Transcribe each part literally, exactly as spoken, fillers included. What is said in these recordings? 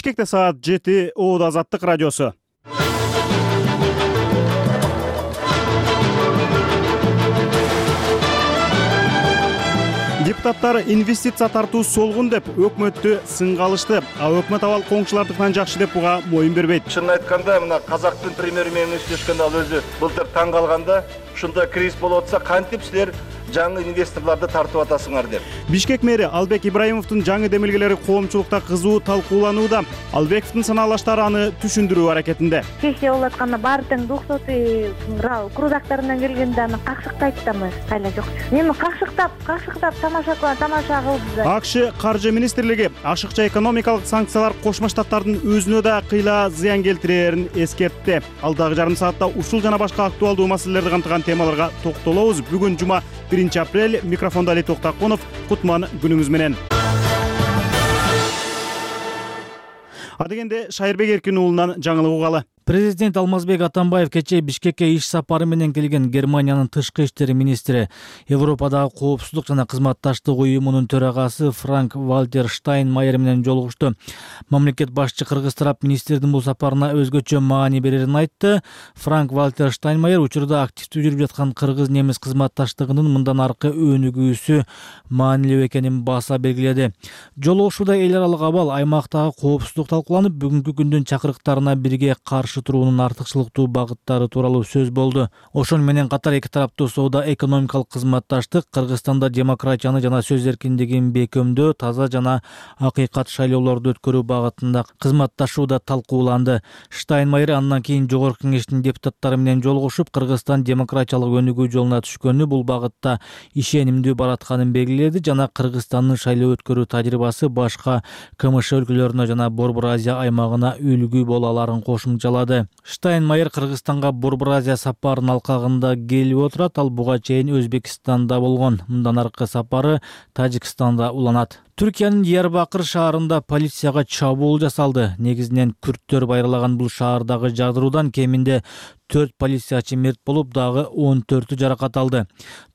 Бишкекте саат жети, Оодо Азаттык радиосу. Депутаттар инвестиция тартуу солгун деп өкмөттү сынга алышты. А өкмөт абал коңшулардыкынан жакшы деп буга моюн бербейт. Чынын айтканда, мына Казактын премьер-министри сүйлөшкөндө ал өзү былтыр таң калганда, ушундай кризис болуп атса, кантип силер жаңы инвесторлорду тартып атасыңар деп. Бишкек мэри Албек Ибраимовдун жаңы демилгелери коомчулукта кызуу талкууланууда. Албековдун санаалаштары аны түшүндүрүү аракетинде. Сессия болуп атканда баары тең двухсотый крузактарынан келгенде аны какшыктайт да эмес, кайла жок. Эми какшыктап, какшыктап тамаша тамаша кылды. АКШ каржы министрлиги ашыкча экономикалык санкциялар Кошмо Штаттардын өзүнө да кыйла зыян келтирерин эскертти. Алдагы жарым саатта ушул жана башка актуалдуу маселелерди камтыган темаларга токтолобуз. Бүгүн жума биринчи апрель. Микрофондо Али Токтаконов. Кутман күнүңүз менен. Адегенде Шайырбек Эркин уулунан жаңылык угалы. Президент Алмазбек Атамбаев кечээ Бишкекке иш сапары менен келген Германиянын тышкы иштер министри, Европадагы коопсуздук жана кызматташтык уюмунун төрагасы Франк Вальтер Штайнмайер менен жолугушту. Мамлекет башчы кыргыз тарап министрдин бул сапарына өзгөчө маани берерин айтты. Франк Вальтер Штайнмайер учурда активдүү жүрүп жаткан кыргыз-немис кызматташтыгынын мындан аркы өнүгүүсү маанилүү экенин баса белгиледи. Жолугушууда эл аралык абал, аймактагы коопсуздук талкууланып, бүгүнкү күндүн чакырыктарына бирге каршы туруунун артыкчылыктуу багыттары тууралуу сөз болду. Ошону менен катар эки тараптуу соода экономикалык кызматташтык, Кыргызстанда демократияны жана сөз эркиндигин бекемдөө, таза жана акыйкат шайлоолорду өткөрүү багытында кызматташууда талкууланды. Штайнмайер андан кийин Жогорку Кеңештин депутаттары менен жолугушуп, Кыргызстан демократиялык өнүгүү жолуна түшкөнү, бул багытта ишенимдүү баратканын белгиледи жана Кыргызстандын шайлоо өткөрүү тажрыйбасы башка КМШ өлкөлөрүнө жана Борбор Азия аймагына үлгү боло аларын кошумчалады. Штайнмайер Кыргызстанга Борбор Азия сапарынын алкагында келип отурат. Ал буга чейин Өзбекстанда болгон. Мындан аркы сапары Тажикстанда уланат. Түркиянын Диярбакыр шаарында полицияга чабуул жасалды. Негизинен күрттөр байралаган бул шаардагы жардыруудан кеминде төрт полициячы мерт болуп, дагы он төртү жаракат алды.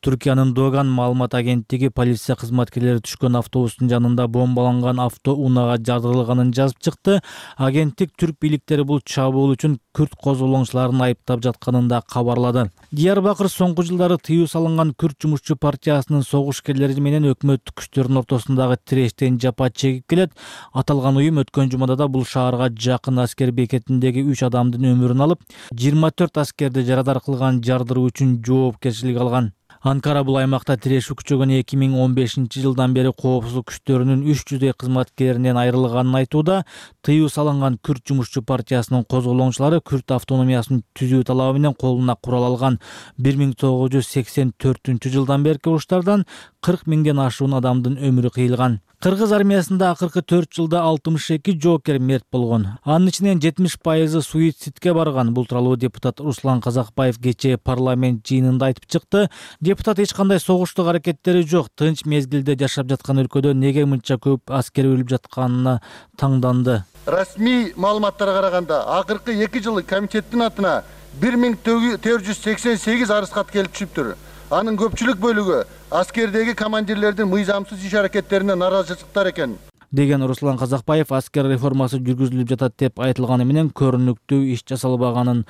Түркиянын Доган маалымат агенттиги полиция кызматкерлери түшкөн автобустун жанында бомбаланган автоунаага жардырылганын жазып чыкты. Агенттик түрк бийликтери бул чабуул үчүн күрт козголоңчуларын айыптап жатканын да кабарлады. Диярбакыр соңку жылдары тыюу салынган Күрт жумушчу партиясынын согушкерлери менен өкмөттүк күчтөрдүн ортосундагы тирештен жапа чегип келет. Аталган уюм өткөн жумада да бул шаарга жакын аскер бекетиндеги үч адамдын өмүрүн алып, жыйырма төрт аскерди жарадар кылган жардыруу үчүн жоопкерчилик алган. Анкара бул аймакта тирешүү күчөгөн эки миң он бешинчи жылдан бери коопсуздук күчтөрүнүн үч жүздөй кызматкеринен айрылганын айтууда. Тыюу салынган Күрт жумушчу партиясынын козголоңчулары Күрт автономиясын түзүү талабы менен колуна курал алган бир миң тогуз жүз сексен төртүнчү жылдан берки уруштардан кырк миңден ашуун адамдын өмүрү кыйылган. Кыргыз армиясында акыркы төрт жылда алтымыш эки жоокер мерт болгон. Анын ичинен жетимиш пайызы суицидке барган. Бул тууралуу депутат Руслан Казакбаев кечээ парламент жыйынында айтып чыкты. Депутат эч кандай согуштук аракеттери жок, тынч мезгилде жашап жаткан өлкөдө неге мынча көп аскер өлүп жатканына таңданды. Расмий маалыматтарга караганда, акыркы эки жылы комитеттин атына бир миң төрт жүз сексен сегиз арыз кат келип түшүптүр. Анын көпчүлүк бөлүгү аскердеги командирлердин мыйзамсыз иш аракеттерине наразычылыктар экен, деген Руслан Казакбаев аскер реформасы жүргүзүлүп жатат деп айтылганы менен көрүнүктүү иш жасалбаганын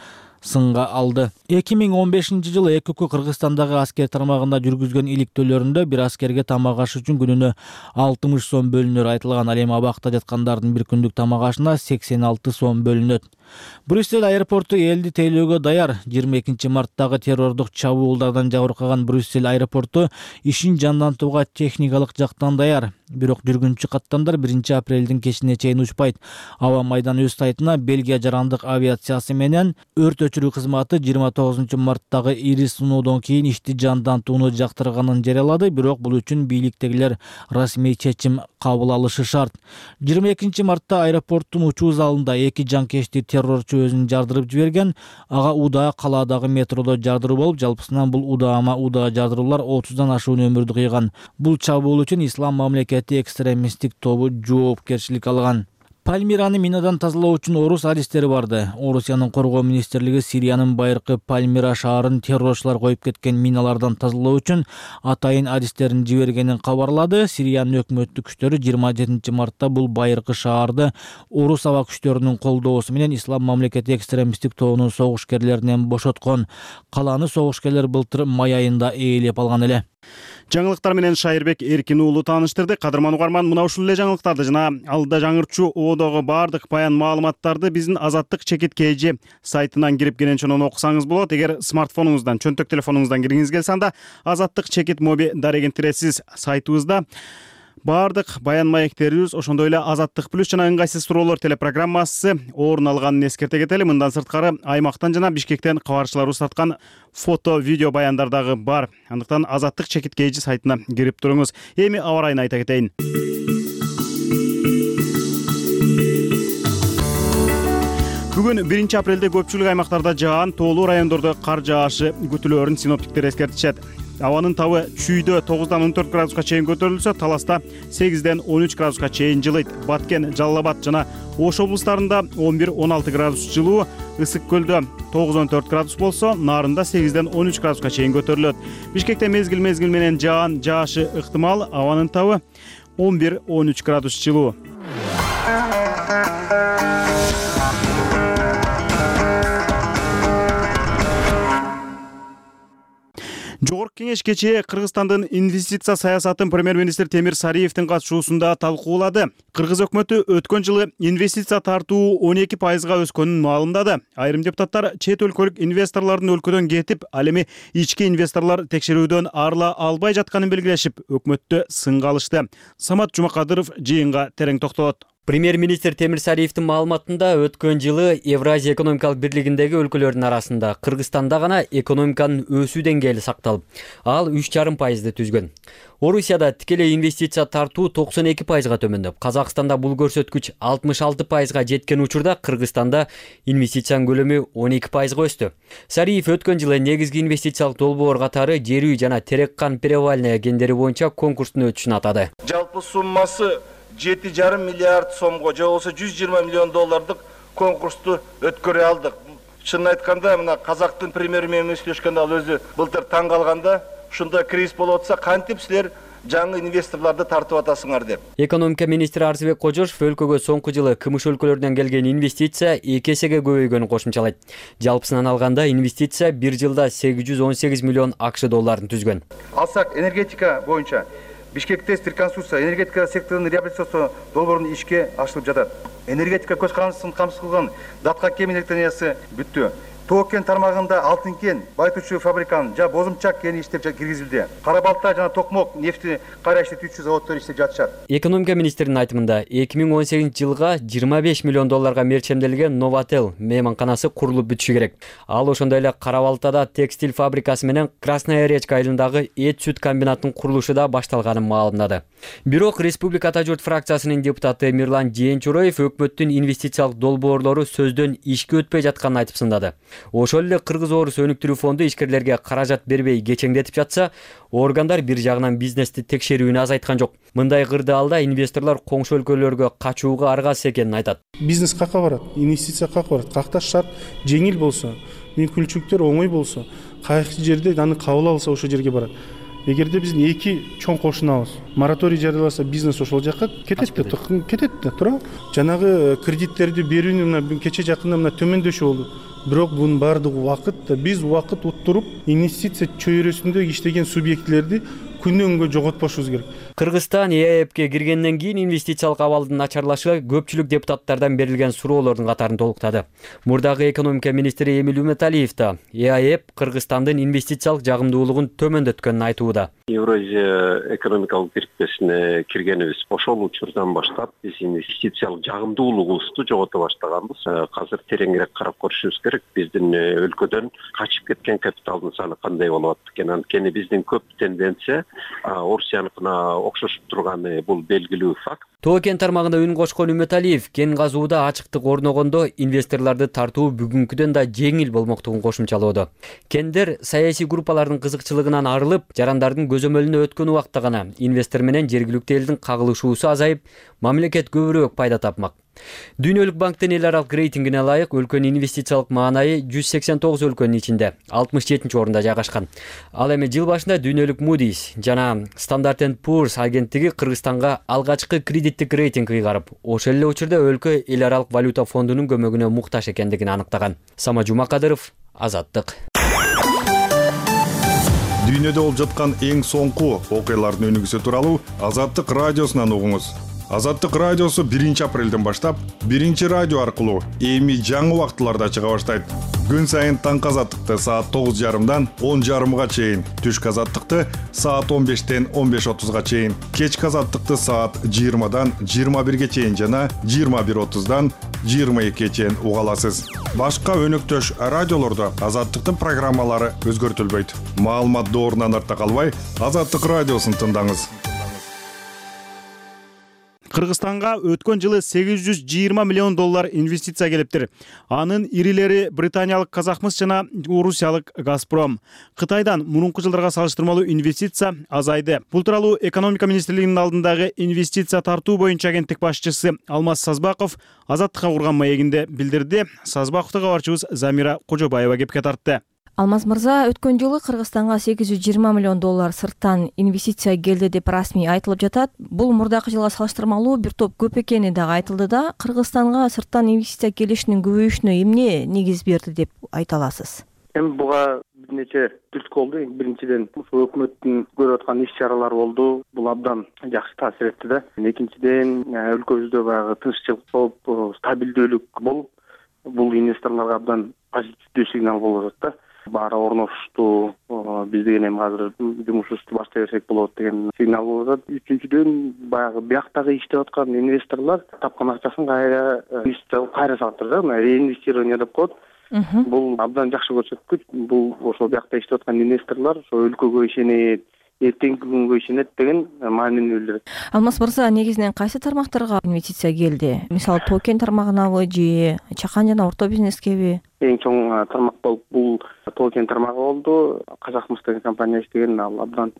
сынга алды. эки миң он бешинчи жылы ЭКК Кыргызстандагы аскер тармагында жүргүзгөн иликтөөлөрүндө бир аскерге тамак аш үчүн күнүнө алтымыш сом бөлүнөр айтылган. Ал эми абакта жаткандардын бир күндүк тамак ашына сексен алты сом бөлүнөт. Брюссель аэропорту элди тейлөөгө даяр. жыйырма экинчи марттагы террордук чабуулдардан жабыркаган Брюссель аэропорту ишин жандантууга техникалык жактан даяр. Бирок жүргүнчү каттамдар биринчи апрелдин кечине чейин учпайт. Аба майдан өз сайтына Бельгия жарандык авиациясы менен өрт өчүрүү кызматы жыйырма тогузунчу марттагы ири сыноодон кийин ишти жандантууну жактырганын жарыялады. Бирок бул үчүн бийликтегилер расмий чечим кабыл алышы шарт. жыйырма экинчи мартта аэропорттун учуу залында эки жанкечти террорчу өзүн жардырып жиберген. Ага удаа калаадагы метродо жардыруу болуп, жалпысынан бул удаама удаа жардыруулар отуздан ашуун өмүрдү кыйган. Бул чабуул үчүн Ислам мамлекети экстремисттик тобу жоопкерчилик алган. Пальмираны минадан тазалоо үчүн орус адистери барды. Орусиянын коргоо министрлиги Сириянын байыркы Пальмира шаарын террорчулар коюп кеткен миналардан тазалоо үчүн атайын адистерин жибергенин кабарлады. Сириянын өкмөттүк күчтөрү жыйырма жетинчи мартта бул байыркы шаарды орус аба күчтөрүнүн колдоосу менен Ислам мамлекети экстремисттик тобунун согушкерлеринен бошоткон. Калааны согушкерлер былтыр май айында ээлеп алган эле. Жаңылыктар менен Шайырбек Эркин уулу тааныштырды. Кадырман угарман, мына ушул эле жаңылыктарды жана алда жаңырчу оодогу баардык баян маалыматтарды биздин Азаттык чекит kg сайтынан кирип кененчонон окусаңыз болот. Эгер смартфонуңуздан, чөнтөк телефонуңуздан киргиңиз келсе, анда Азаттык чекит моби дарегин тиресиз сайтыбызда баардык баян маектерибиз, ошондой эле Азаттык плюс жана ыңгайсыз суроолор телепрограммасы орун алганын эскерте кетели. Мындан сырткары Аймактан жана Бишкектен кабарчыларыбыз тарткан фото, видео баяндар дагы бар. Андыктан Азаттык чекит kg сайтына кирип туруңуз. Эми аба ырайын айта кетейин. Бүгүн биринчи апрелде көпчүлүк аймактарда жаан, тоолуу райондордо кар жаашы күтүлөөрүн синоптиктер эскертишет. Абанын табы Чүйдө тогуздан он төрт градуска чейин көтөрүлсө, Таласта сегизден он үч градуска чейин жылыйт. Баткен, Жалал Абад жана Ош облустарында он бир он алты градус жылуу, Ысык көлдө тогуз он төрт градус болсо, Нарында сегизден он үч градуска чейин көтөрүлөт. Бишкекте мезгил мезгил менен жаан жаашы ыктымал, абанын табы он бир он үч градус жылуу. Жогорку кеңеш кечээ Кыргызстандын инвестиция саясатын премьер-министр Темир Сариевдин катышуусунда талкуулады. Кыргыз өкмөтү өткөн жылы инвестиция тартуу он эки пайызга өскөнүн маалымдады. Айрым депутаттар чет өлкөлүк инвесторлордун өлкөдөн кетип, ал эми ички инвесторлор текшерүүдөн арыла албай жатканын белгилешип, өкмөттү сынга алышты. Самат Жумакадыров жыйынга терең токтолот. Премьер-министр Темир Сариевдин маалыматында өткөн жылы Евразия экономикалык бирлигиндеги өлкөлөрдүн арасында Кыргызстанда гана экономиканын өсүү деңгээли сакталып, ал үч жарым пайызды түзгөн. Орусияда тикелей инвестиция тартуу токсон эки пайызга төмөндөп, Казакстанда бул көрсөткүч алтымыш алты пайызга жеткен учурда Кыргызстанда инвестициянын көлөмү он эки пайызга өстү. Сариев өткөн жылы негизги инвестициялык долбоор катары жер үй жана Терек-Кан Перевальная кендери боюнча конкурстун өтүшүн атады. Жалпы суммасы жети жарым миллиард сомго, же болбосо жүз жыйырма миллион доллардык конкурсту өткөрө алдык. Чынын айтканда, мына Казактын премьери менен сүйлөшкөндө ал өзү былтыр таң калганда, ушундай кризис болуп атса, кантип силер жаңы инвесторлорду тартып атасыңар деп. Экономика министри Арзыбек Кожошов өлкөгө соңку жылы кымыш өлкөлөрдөн келген инвестиция эки эсеге көбөйгөнүн кошумчалайт. Жалпысынан алганда инвестиция бир жылда сегиз жүз он сегиз миллион акш долларын түзгөн. Алсак энергетика боюнча Бишкекте реконструкция, энергетика секторунун реабилитация долбоорунун ишке ашырылып жатат. Энергетика көз карандысын камсыз кылган Датка кен электростанциясы бүттү. Тоо кен тармагында алтын кен, байытуучу фабриканын жана бозумчак кени иштеп киргизилди. Кара балта жана токмок нефти кайра иштетүүчү заводдор иштеп жатышат. Экономика министринин айтымында эки миң он сегизинчи жылга жыйырма беш миллион долларга мерчемделген Новотел мейманканасы курулуп бүтүшү керек. Ал ошондой эле Кара Балтада текстиль фабрикасы менен Красная речка айылындагы эт-сүт комбинатынын курулушу да башталганын маалымдады. Бирок Республика Ата журт фракциясынын депутаты Мирлан Жээнчуроев өкмөттүн инвестициялык долбоорлору сөздөн ишке өтпөй жатканын айтып сындады. Ошол эле Кыргыз-Орус өнүктүрүү фонду ишкерлерге каражат бербей кечеңдетип жатса, органдар бир жагынан бизнести текшерүүнү азайткан жок. Мындай кырдаалда инвесторлор коңшу өлкөлөргө качууга аргасыз экенин айтат. Бизнес какка барат? Инвестиция какка барат? Какта шарт жеңил болсо, мүмкүнчүлүктөр оңой болсо, кайсы жерде аны кабыл алса ошол жерге барат. Эгерде биздин эки чоң кошунабыз мораторий жарыяласа, бизнес ошол жакка кетет да, кетет да, туура. Жанагы кредиттерди берүүнү мына кече жакында мына төмөндөшү болду. Бирок бунун баардыгы убакыт да, биз убакыт уттуруп, инвестиция чөйрөсүндө иштеген субъектлерди күнөн күнгө жоготпошубуз керек. Кыргызстан ЭАЭПке киргенден кийин инвестициялык абалдын начарлашы көпчүлүк депутаттардан берилген суроолордун катарын толуктады. Мурдагы экономика министри Эмиль Үмөталиев да ЭАЭП Кыргызстандын инвестициялык жагымдуулугун төмөндөткөнүн айтууда. Евразия экономикалык бирикмесине киргенибиз ошол учурдан баштап биз инвестициялык жагымдуулугубузду жогото баштаганбыз. Азыр тереңирээк карап көрүшүбүз керек. Биздин өлкөдөн качып кеткен капиталдын саны кандай болуп атат экен. Анткени биздин көп тенденция Орусияныкына окшошуп турганы бул белгилүү факт. Тоо кен тармагында үн кошкон Үмөталиев кен казууда ачыктык орногондо инвесторлорду тартуу бүгүнкүдөн да жеңил болмоктугун кошумчалоодо. Кендер саясий группалардын кызыкчылыгынан арылып, жарандардын көзөмөлүнө өткөн убакта гана инвестор менен жергиликтүү элдин кагылышуусу азайып, мамлекет көбүрөөк пайда тапмак. Дүйнөлүк банктын эл аралык рейтингине ылайык өлкөнүн инвестициялык маанайы жүз сексен тогуз өлкөнүн ичинде алтымыш жетинчи орунда жайгашкан. Ал эми жыл башында дүйнөлүк Moody's жана Standard and Poor's агенттиги Кыргызстанга алгачкы кредиттик рейтинг ыйгарып, ошол эле учурда өлкө эл аралык валюта фондунун көмөгүнө муктаж экендигин аныктаган. Сама Жумакадыров, Азаттык. Дүйнөдө болуп жаткан эң соңку окуялардын өнүгүүсү тууралуу Азаттык радиосунан угуңуз. Азаттык радиосу биринчи апрелден баштап биринчи радио аркылуу эми жаңы убактыларда чыга баштайт. Күн сайын таңкы азаттыкты саат тогуз жарымдан он жарымга чейин, түшкү азаттыкты саат он бештен он беш отузга чейин, кечки азаттыкты саат жыйырмадан жыйырма бирге чейин жана жыйырма бир отуздан жыйырма экиге чейин уга аласыз. Башка өнөктөш радиолордо азаттыктын программалары өзгөртүлбөйт. Маалымат доорунан артта калбай, Азаттык радиосун тыңдаңыз. Кыргызстанга өткөн жылы сегиз жүз жыйырма миллион доллар инвестиция келиптир. Анын ирилери британиялык Казахмыс жана Орусиялык Газпром. Кытайдан мурунку жылдарга салыштырмалуу инвестиция азайды. Бул тууралуу экономика министрлигинин алдындагы инвестиция тартуу боюнча агенттик башчысы Алмаз Сазбаков Азаттыкка курган маегинде билдирди. Сазбаковду кабарчыбыз Замира Кожобаева кепке тартты. Алмаз мырза, өткөн жылы Кыргызстанга сегиз жүз жыйырма миллион доллар сырттан инвестиция келди деп расмий айтылып жатат. Бул мурдакы жылга салыштырмалуу бир топ көп экени дагы айтылды да. Кыргызстанга сырттан инвестиция келишинин көбөйүшүнө эмне негиз берди деп айта аласыз? Эми буга бир нече түрткү болду. Биринчиден, ушул өкмөттүн көрүп аткан иш-чаралары болду. Бул абдан жакшы таасир этти да. Экинчиден, өлкөбүздө баягы тынччылык болуп, стабилдүүлүк болуп, бул инвесторлорго абдан позитивдүү сигнал болуп атат да. Баары орношушту, биз деген эми азыр жумушубузду баштай берсек болот деген сигнал болуп атат. Үчүнчүдөн, баягы бияктагы иштеп аткан инвесторлор тапкан акчасын кайра инвестиция кайра салып турат, мына реинвестирование деп коет. Бул абдан жакшы көрсөткүч. Бул ошол биякта иштеп аткан инвесторлор ошол өлкөгө ишенет, эртеңки күнгө ишенет деген маанини билдирет. Алмаз мырза, негизинен кайсы тармактарга инвестиция келди? Мисалы, тоо-кен тармагынабы же чакан жана орто бизнескеби? Эң чоң тармак болуп бул тоо-кен тармагы болду. Казахмыс деген компания иштеген, ал абдан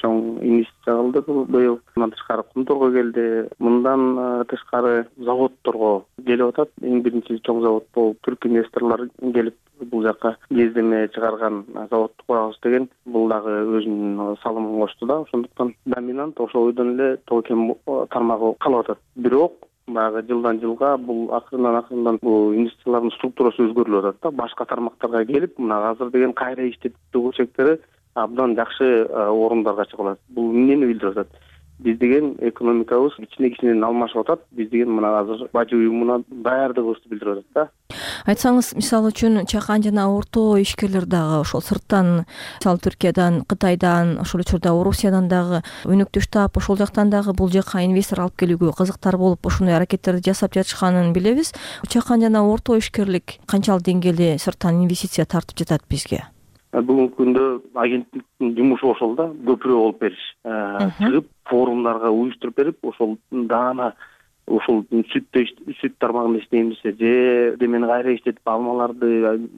чоң инвестиция кылды быйыл. Мындан тышкары Кумторго келди. Мындан тышкары заводдорго келип атат. Эң биринчи чоң завод бул түрк инвесторлор келип бул жака кездеме чыгарган заводду курабыз деген. Бул дагы өзүнүн салымын кошту да. Ошондуктан доминант ошол бойдон эле тоо-кен тармагы калып атат. Бирок баягы жылдан жылга бул акырындан акырындан бул инвестициялардын структурасы өзгөрүлүп атат да. Башка тармактарга келип, мына азыр деген кайра иштетүү чектери абдан жакшы орундарга чыгып атат. Бул эмнени билдирип атат? Биз деген экономикабыз кичине кичинен алмашып атат. Биз деген мына азыр бажы уюмуна даярдыгыбызды билдирип атат да. Айтсаңыз, мисалы үчүн чакан жана орто ишкерлер дагы ошол сырттан, мисалы Түркиядан, Кытайдан, ошол учурда Орусиядан дагы өнөктөш таап, ошол жактан дагы бул жака инвестор алып келүүгө кызыктар болуп, ошондой аракеттерди жасап жатышканын билебиз. Чакан жана орто ишкерлик канчалык деңгээлде сырттан инвестиция тартып жатат бизге? Бүгүнкү күндө агенттиктин жумушу ошол да, көпүрө болуп бериш. Чыгып форумдарга уюштуруп берип, ошол даана ошол сүттө сүт тармагында иштеймиз же демени кайра иштетип алмаларды,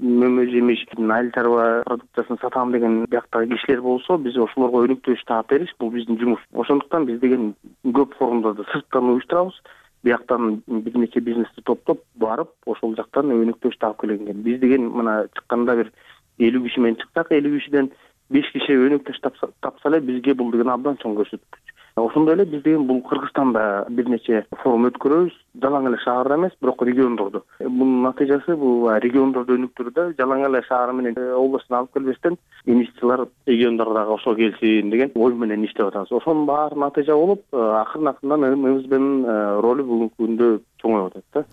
мөмө жемиш, айыл чарба продукциясын сатам деген бияктагы кишилер болсо, биз ошолорго өнүктүрүш таап бериш, бул биздин жумуш. Ошондуктан биз деген көп форумдарды сырттан уюштурабыз. Бияктан бир нече бизнести топтоп барып, ошол жактан өнүктүрүш таап келген. Биз деген мына чыкканда бир элүү киши менен чыксак, элүү кишиден беш киши өнүктүрүш тапса эле бизге бул деген абдан чоң көрсөткүч. Ошондой эле биз деген бул Кыргызстанда бир нече форум өткөрөбүз, жалаң эле шаарда эмес, бирок региондордо. Бунун натыйжасы бул региондорду өнүктүрүүдө жалаң эле шаар менен областын алып келбестен инвестициялар региондордогу ошо келсин деген ой менен иштеп атабыз. Ошонун баары натыйжа болуп, акырын-акырындан МСБнын ролу бүгүнкү күндө чоңоюп атат да.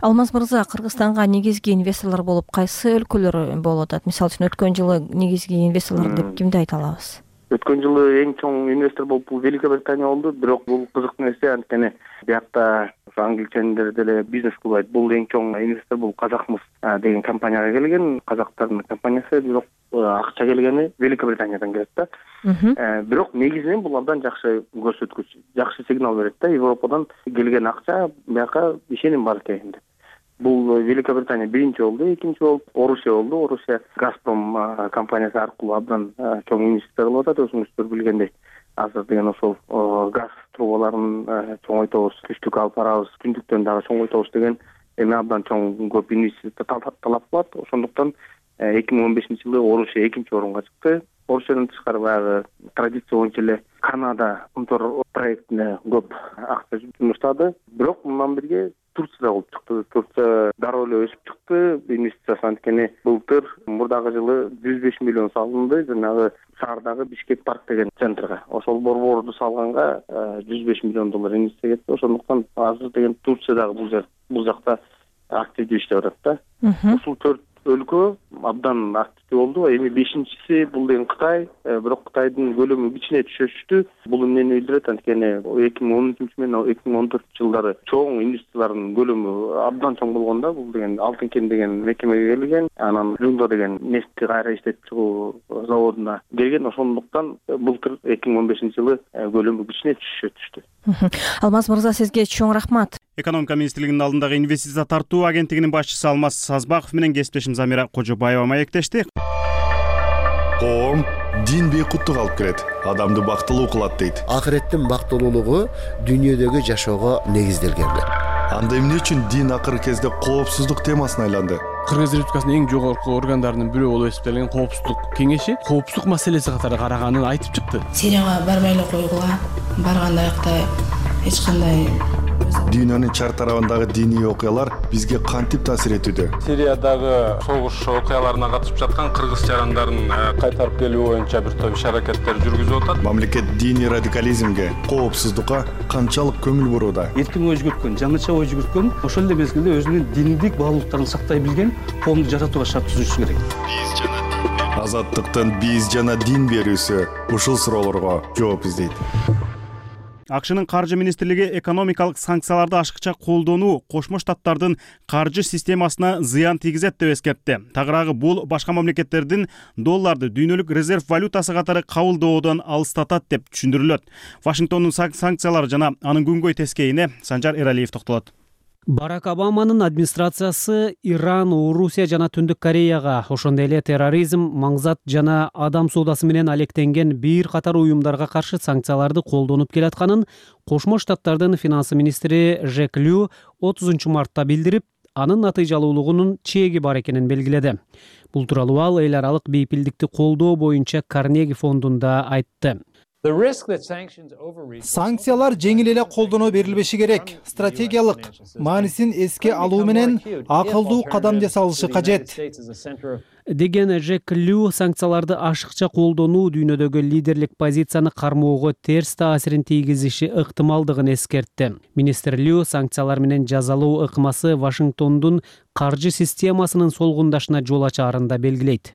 Алмаз мырза, Кыргызстанга негизги инвесторлор болуп кайсы өлкөлөр болуп атат? Мисалы үчүн өткөн жылы негизги инвесторлор деп кимди айта алабыз? Өткөн жылы эң чоң инвестор болуп бул Великобритания болду, бирок бул кызык нерсе, анткени биякта англичандер деле бизнес кылбайт. Бул эң чоң инвестор бул Казахмыс деген компанияга келген, казактардын компаниясы, бирок акча келгени Великобританиядан келет да. Бирок негизинен бул абдан жакшы көрсөткүч, жакшы сигнал берет да. Европадан келген акча бияка ишеним бар экен деп. Бул Великобритания биринчи болду, экинчи болуп Орусия болду. Орусия Газпром компаниясы аркылуу абдан чоң инвестиция кылып атат. Өзүңүздөр билгендей, азыр деген ошол газ трубаларын чоңойтобуз, күчтүк алып барабыз, түндүктөн дагы чоңойтобуз деген эми абдан чоң көп инвестиция талап кылат. Ошондуктан эки миң он бешинчи жылы Орусия экинчи орунга чыкты. Орусиядан тышкары баягы традиция боюнча эле Канада Умтор проектине көп акча жумуштады. Бирок мындан бирге Турция да болуп чыкты. Турция дароо эле өсүп чыкты. Инвестициясы анткени былтыр мурдагы жылы жүз беш миллион салынды жанагы шаардагы Бишкек парк деген центрге. Ошол борборду салганга жүз беш миллион доллар инвестиция кетти. Ошондуктан азыр деген Турция дагы бул жер бул жакта активдүү иштеп атат да. Ушул төрт өлкө абдан активдүү болду. Эми бешинчиси бул деген Кытай, бирок Кытайдын көлөмү кичине түшүштү. Бул эмнени билдирет? Анткени эки миң он үчүнчү менен эки миң он төртүнчү жылдары чоң инвестициялардын көлөмү абдан чоң болгондо, бул деген Алтын кен деген мекемеге келген, анан Жунда деген нефтти кайра иштетип чыгуу заводуна келген. Ошондуктан былтыр эки миң он бешинчи жылы көлөмү кичине түшүшө түштү. Алмаз мырза, сизге чоң рахмат. Экономика министрлигинин алдындагы инвестиция тартуу агенттигинин башчысы Алмаз Сазбаков менен кесиптешим Замира Кожобаева маектешти. Коом дин бейкуттук алып келет, адамды бактылуу кылат дейт. Акыреттин бактылуулугу дүйнөдөгү жашоого негизделген. Анда эмне үчүн дин акыркы кезде коопсуздук темасына айланды? Кыргыз Республикасынын эң жогорку органдарынын бирөө болуп эсептелген коопсуздук кеңеши коопсуздук маселеси катары караганын айтып чыкты. Сирияга барбай эле койгула, барганда аякта эч кандай Дүйнөнүн чар тарабындагы диний окуялар бизге кантип таасир этүүдө? Сириядагы согуш окуяларына катышып жаткан кыргыз жарандарын кайтарып келүү боюнча бир топ иш-аракеттер жүргүзүп атат. Мамлекет диний радикализмге, коопсуздукка канчалык көңүл бурууда? Эркин ой жүгүрткөн, жаңыча ой жүгүрткөн, ошол эле мезгилде өзүнүн диндик баалуулуктарын сактай билген коомду жаратууга шарт түзүшү керек. Азаттыктын биз жана дин берүүсү ушул суроолорго жооп издейт. АКШнын каржы министрлиги экономикалык санкцияларды ашыкча колдонуу Кошмо Штаттардын каржы системасына зыян тийгизет деп эскертти. Тагыраагы бул башка мамлекеттердин долларды дүйнөлүк резерв валютасы катары кабылдоодон алыстатат деп түшүндүрүлөт. Вашингтондун санкциялары жана анын күнгөй тескейине Санжар Эралиев токтолот. Барак Обаманын администрациясы Иран, Орусия жана Түндүк Кореяга, ошондой эле терроризм, маңзат жана адам соодасы менен алектенген бир катар уюмдарга каршы санкцияларды колдонуп келатканын Кошмо Штаттардын финансы министри Жек Лю отузунчу мартта билдирип, анын натыйжалуулугунун чеги бар экенин белгиледи. Бул тууралуу ал эл аралык бейпилдикти колдоо боюнча Карнеги фондунда айтты. Санкциялар жеңил эле колдоно берилбеши керек. Стратегиялык маанисин эске алуу менен акылдуу кадам жасалышы кажет. Деген Жек Лю санкцияларды ашыкча колдонуу дүйнөдөгү лидерлик позицияны кармоого терс таасирин тийгизиши ыктымалдыгын эскертти. Министр Лю санкциялар менен жазалоо ыкмасы Вашингтондун каржы системасынын солгундашына жол ачаарын да белгилейт.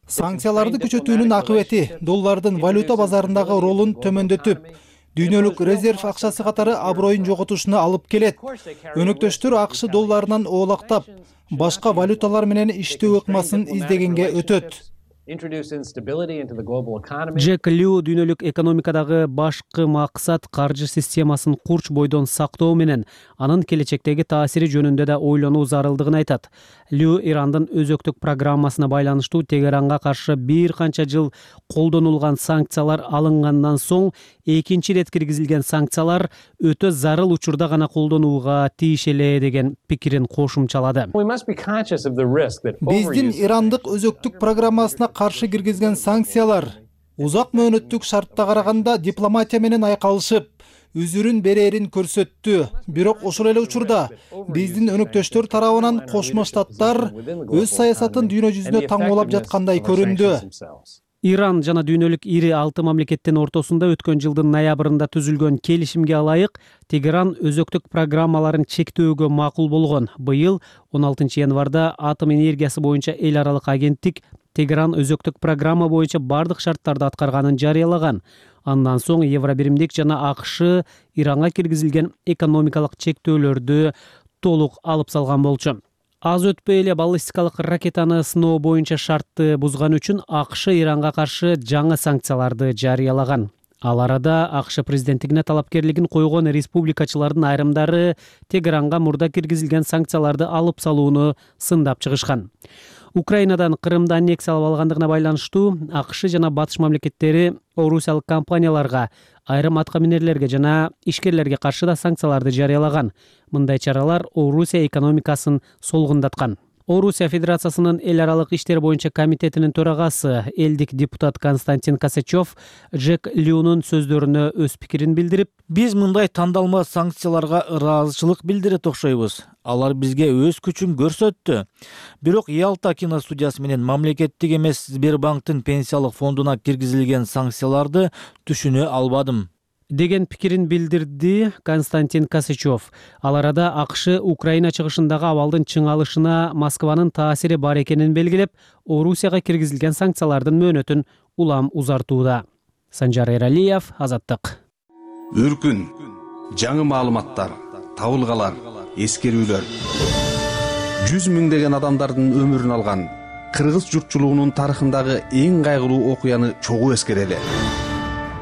Санкцияларды күчөтүүнүн акыбети доллардын валюта базарындагы ролун төмөндөтүп, дүйнөлүк резерв акчасы катары аброюн жоготушуна алып келет. Өнөктөштөр АКШ долларынан оолактап, башка валюталар менен иштөө ыкмасын издегенге өтөт. Жек Лю дүйнөлүк экономикадагы башкы максат каржы системасын курч бойдон сактоо менен анын келечектеги таасири жөнүндө да ойлонуу зарылдыгын айтат. Лю Ирандын өзөктүк программасына байланыштуу Тегеранга каршы бир канча жыл колдонулган санкциялар алынгандан соң экинчи ирет киргизилген санкциялар өтө зарыл учурда гана колдонууга тийиш эле деген пикирин кошумчалады. Биздин Ирандык өзөктүк программасына каршы киргизген санкциялар узак мөөнөттүк шартта караганда дипломатия менен айкалышып, үзүрүн берерин көрсөттү. Бирок ошол эле учурда биздин өнөктөштөр тарабынан Кошмо Штаттар өз саясатын дүйнө жүзүнө таңоолап жаткандай көрүндү. Иран жана дүйнөлүк ири алты мамлекеттин ортосунда өткөн жылдын ноябрында түзүлгөн келишимге ылайык Тегеран өзөктүк программаларын чектөөгө макул болгон. Быйыл он алтынчы январда атом энергиясы боюнча эл аралык агенттик Тегеран өзөктүк программа боюнча бардык шарттарды аткарганын жарыялаган. Андан соң Евробиримдик жана АКШ Иранга киргизилген экономикалык чектөөлөрдү толук алып салган болчу. Аз өтпөй эле баллистикалык ракетаны сыноо боюнча шартты бузган үчүн АКШ Иранга каршы жаңы санкцияларды жарыялаган. Ал арада АКШ президенттигине талапкерлигин койгон республикачылардын айрымдары Тегеранга мурда киргизилген санкцияларды алып салууну сындап чыгышкан. Украинадан Крымды аннексиялап алгандыгына байланыштуу АКШ жана батыш мамлекеттери орусиялык компанияларга айрым аткаминерлерге жана ишкерлерге каршы да санкцияларды жарыялаган. Мындай чаралар Орусия экономикасын солгундаткан. Орусия Федерациясынын эл аралык иштер боюнча комитетинин төрагасы элдик депутат Константин Косачев Джек Люнун сөздөрүнө өз пикирин билдирип, биз мындай тандалма санкцияларга ыраазычылык билдирет окшойбуз. Алар бизге өз күчүн көрсөттү. Бирок Ялта киностудиясы менен мамлекеттик эмес Сбербанктын пенсиялык фондуна киргизилген санкцияларды түшүнө албадым деген пикирин билдирди Константин Косачев. Ал арада АКШ Украина чыгышындагы абалдын чыңалышына Москванын таасири бар экенин белгилеп, Орусияга киргизилген санкциялардын мөөнөтүн улам узартууда. Санжар Эралиев, Азаттык. Үркүн, жаңы маалыматтар, табылгалар, эскерүүлөр. Жүз миңдеген адамдардын өмүрүн алган кыргыз журтчулугунун тарыхындагы эң кайгылуу окуяны чогуу эскерели.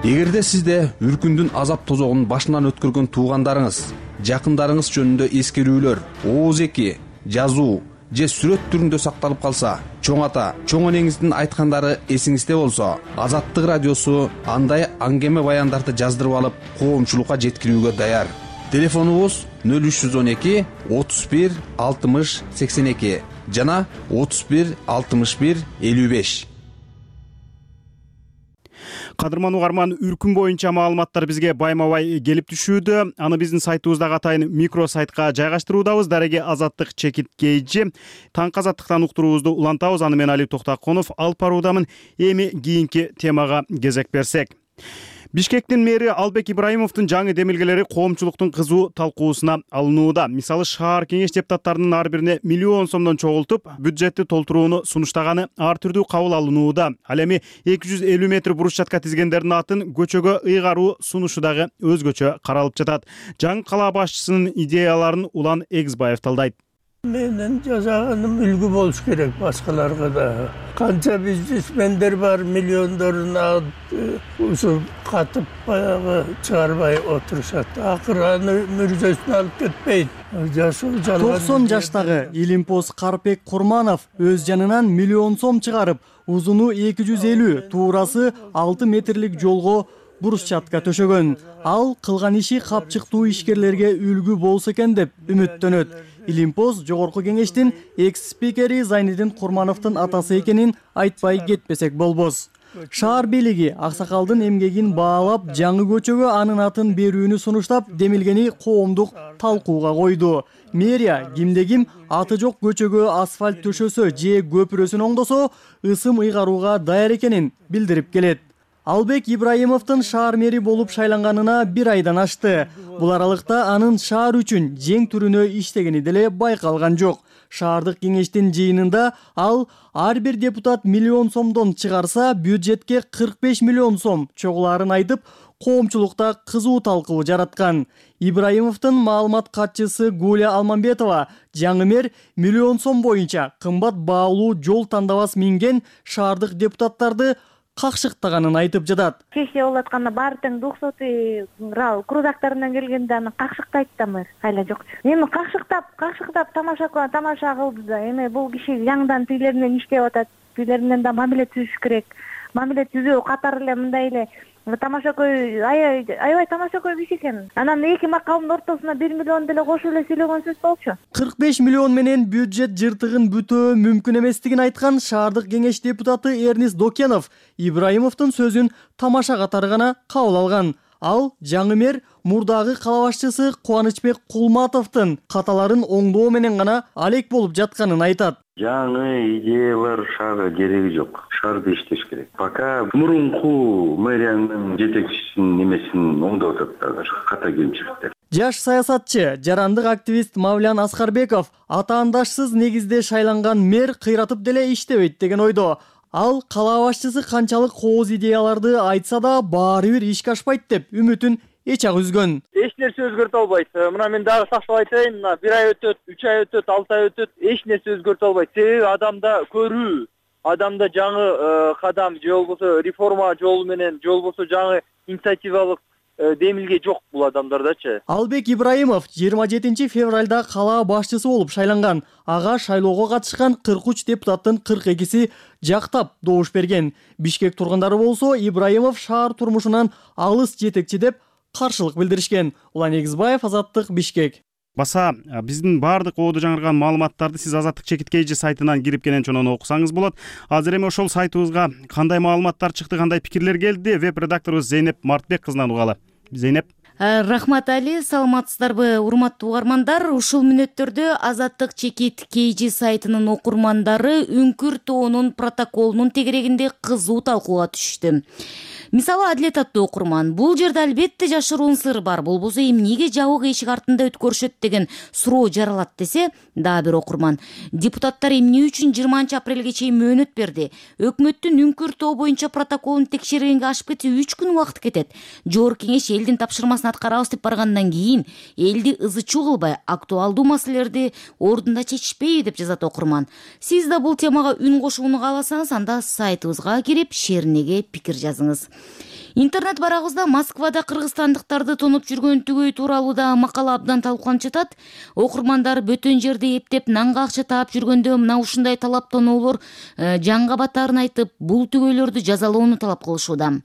Эгерде сизде үркүндүн азап тозогун башынан өткөргөн туугандарыңыз, жакындарыңыз жөнүндө эскерүүлөр, ооз эки, жазуу же сүрөт түрүндө сакталып калса, чоң ата, чоң энеңиздин айткандары эсиңизде болсо, Азаттык радиосу андай аңгеме баяндарды жаздырып алып, коомчулукка жеткирүүгө даяр. Телефонубуз нөл үч жүз он эки отуз бир алтымыш сексен эки жана отуз бир алтымыш бир элүү беш. Кадырман угарман, үркүн боюнча маалыматтар бизге байма-бай келип түшүүдө. Аны биздин сайтыбыздагы атайын микро сайтка жайгаштыруудабыз. Дареги Азаттык чекит кейжи. Таңкы азаттыктан уктуруубузду улантабыз. Аны мен Алип Токтаконов алып баруудамын. Эми кийинки темага кезек берсек. Бишкектин мэри Албек Ибраимовдун жаңы демилгелери коомчулуктун кызуу талкуусуна алынууда. Мисалы, шаар кеңеш депутаттарынын ар бирине миллион сомдон чогултуп, бюджетти толтурууну сунуштаганы ар түрдүү кабыл алынууда. Ал эми эки жүз элүү метр брусчатка тизгендердин атын көчөгө ыйгаруу сунушу дагы өзгөчө каралып жатат. Жаңы кала башчысынын идеяларын Улан Эгизбаев талдайт. Менин жасаганым үлгү болуш керек башкаларга да. Канча бизнесмендер бар, миллиондорун ушу катып баягы чыгарбай отурушат. Акыры аны мүрзөсүнө алып кетпейт. Жашоо жалган. токсон жаштагы Илимпоз Карпек Курманов өз жанынан миллион сом чыгарып, узуну эки жүз элүү, туурасы алты метрлик жолго брусчатка төшөгөн. Ал кылган иши капчыктуу ишкерлерге үлгү болсо экен деп үмүттөнөт. Илимпоз жогорку кеңештин экс-спикери Зайнидин Курмановдун атасы экенин айтпай кетпесек болбос. Шаар бийлиги аксакалдын эмгегин баалап, жаңы көчөгө анын атын берүүнү сунуштап, демилгени коомдук талкууга койду. Мэрия кимде-ким аты жок көчөгө асфальт төшөсө же көпүрөсүн оңдосо, ысым ыйгарууга даяр экенин билдирип келет. Албек Ибраимовдун шаар мэри болуп шайланганына бир айдан ашты. Бул аралыкта анын шаар үчүн жең түрүнө иштегени деле байкалган жок. Шаардык кеңештин жыйынында ал ар бир депутат миллион сомдон чыгарса, бюджетке кырк беш миллион сом чогулаарын айтып, коомчулукта кызуу талкуу жараткан. Ибраимовдун маалымат катчысы Гуля Алмамбетова жаңы мэр миллион сом боюнча кымбат баалуу жол тандабас минген шаардык депутаттарды какшыктаганын айтып жатат. Кечээ болуп атканда баары тең двухсотый крузактарынан келгенде аны какшыктайт да мэр. Айла жок. Эми какшыктап, какшыктап тамаша тамаша кылды да. Эми бул киши жаңыдан тилеринен иштеп атат. Тилеринен да мамиле түзүш керек. Мамиле түзүү катары эле мындай эле тамашакөй аябай аябай тамашакөй киши экен. Анан эки макалдын ортосуна бир миллион деле кошуп эле сүйлөгөн сөз болчу. кырк беш миллион менен бюджет жыртыгын бүтөө мүмкүн эместигин айткан шаардык кеңеш депутаты Эрнис Докенов Ибраимовдун сөзүн тамаша катары гана кабыл алган. Ал жаңы мэр мурдагы кала башчысы Кубанычбек Кулматовдун каталарын оңдоо менен гана алек болуп жатканын айтат. Жаңы идеялар шаарга кереги жок. Шаарды иштеш керек. Пока мурунку мэриянын жетекчисинин немесин оңдоп атат, ката кемчиликтер. Жаш саясатчы, жарандык активист Мавлян Аскарбеков атаандашсыз негизде шайланган мэр кыйратып деле иштебейт деген ойдо. Ал кала башчысы канчалык кооз идеяларды айтса да баары бир ишке ашпайт деп үмүтүн эч ак үзгөн. Эч нерсе өзгөртө албайт. Мына мен дагы сактап айтайын, мына бир ай өтөт, үч ай өтөт, алты ай өтөт, эч нерсе өзгөртө албайт. Себеби адамда көрүү, адамда жаңы кадам же болбосо реформа жолу менен, же болбосо жаңы инициативалык демилге жок бул адамдардачы. Албек Ибраимов жыйырма жетинчи февралда кала башчысы болуп шайланган. Ага шайлоого катышкан кырк үч депутаттын кырк экиси жактап добуш берген. Бишкек тургундары болсо Ибраимов шаар турмушунан алыс жетекчи деп каршылык билдиришкен. Улан Эгизбаев, Азаттык, Бишкек. Баса биздин баардык оодо жаңырган маалыматтарды сиз Азаттык чекит kg сайтынан кирип кенен чонон окусаңыз болот. Азыр эми ошол сайтыбызга кандай маалыматтар чыкты, кандай пикирлер келди, веб редакторубуз Зейнеп Мартбек кызынан угалы. Зейнеп. Рахмат Али, саламатсыздарбы урматтуу угармандар? Ушул мүнөттөрдө Азаттык чекит kg сайтынын окурмандары Үңкүр тоонун протоколунун тегерегинде кызуу талкууга түштү. Мисалы, Адилет аттуу окурман, бул жерде албетте жашыруун сыр бар, болбосо эмнеге жабык эшик артында өткөрүшөт деген суроо жаралат десе, дагы бир окурман, депутаттар эмне үчүн жыйырманчы апрелге чейин мөөнөт берди? Өкмөттүн Үңкүр тоо боюнча протоколун текшергенге ашып кетсе үч күн убакыт кетет. Жогорку кеңеш элдин тапшырмасын аткарабыз деп баргандан кийин элди ызы чуу кылбай, актуалдуу маселелерди ордунда чечишпейби деп жазат окурман. Сиз да бул темага үн кошууну кааласаңыз, анда сайтыбызга кирип шеринеге пикир жазыңыз. Интернет барагыбызда Москвада кыргызстандыктарды тонуп жүргөн түгөй тууралуу да макала абдан талкууланып жатат. Окурмандар бөтөн жерде эптеп нанга акча таап жүргөндө мына ушундай талаптоолор жаңга батаарын айтып, бул түгөйлөрдү жазалоону талап кылышууда.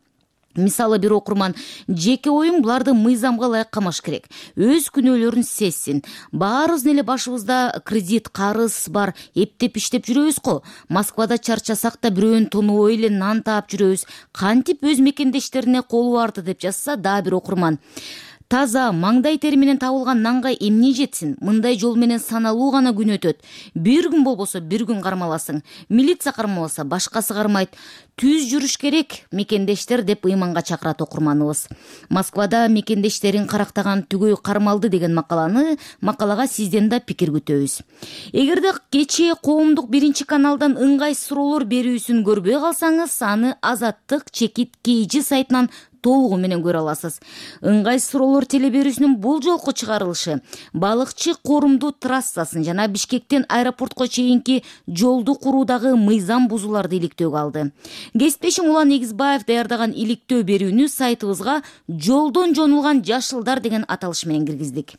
Мисалы, бир окурман, жеке оюм буларды мыйзамга ылайык камаш керек. Өз күнөөлөрүн сезсин. Баарыбыз эле башыбызда кредит, карыз бар, эптеп иштеп жүрөбүз го. Москвада чарчасак да бирөөнү тонобой эле нан таап жүрөбүз. Кантип өз мекендештерине колу барды деп жазса дагы бир окурман. Таза, маңдай тери менен табылган нанга эмне жетсин? Мындай жол менен саналуу гана күн өтөт. Бир күн болбосо бир күн кармаласың. Милиция кармаласа башкасы кармайт. Түз жүрүш керек мекендештер деп ыйманга чакырат окурманыбыз. Москвада мекендештерин карактаган түгөй кармалды деген макаланы макалага сизден да пикир күтөбүз. Эгерде кечээ коомдук биринчи каналдан ыңгайсыз суроолор берүүсүн көрбөй калсаңыз, аны Азаттык чекит kg сайтынан толугу менен көрө аласыз. Ыңгайсыз суроолор телеберүүсүнүн бул жолку чыгарылышы балыкчы корумдуу трассасын жана Бишкектен аэропортко чейинки жолду куруудагы мыйзам бузууларды иликтөөгө алды. Кесиптешим Улан Эгизбаев даярдаган иликтөө берүүнү сайтыбызга жолдон жонулган жашылдар деген аталыш менен киргиздик.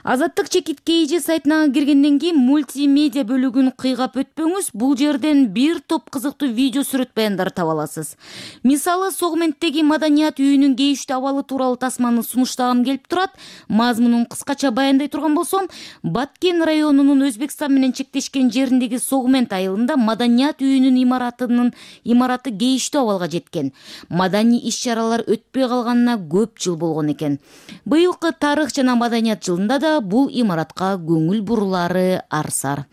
Азаттык чекит kg сайтына киргенден кийин мультимедиа бөлүгүн кыйгап өтпөңүз, бул жерден бир топ кызыктуу видео сүрөт баяндарды таба аласыз. Мисалы, Согменттеги маданият үйүнүн кейиштүү абалы тууралуу тасманы сунуштагым келип турат. Мазмунун кыскача баяндай турган болсом, Баткен районунун Өзбекстан менен чектешкен жериндеги Согмент айылында маданият үйүнүн имаратынын имараты кейиштүү абалга жеткен. Маданий иш-чаралар өтпөй калганына көп жыл болгон экен. Быйылкы тарых жана маданият жылында да бул имаратка көңүл бурулары арсар.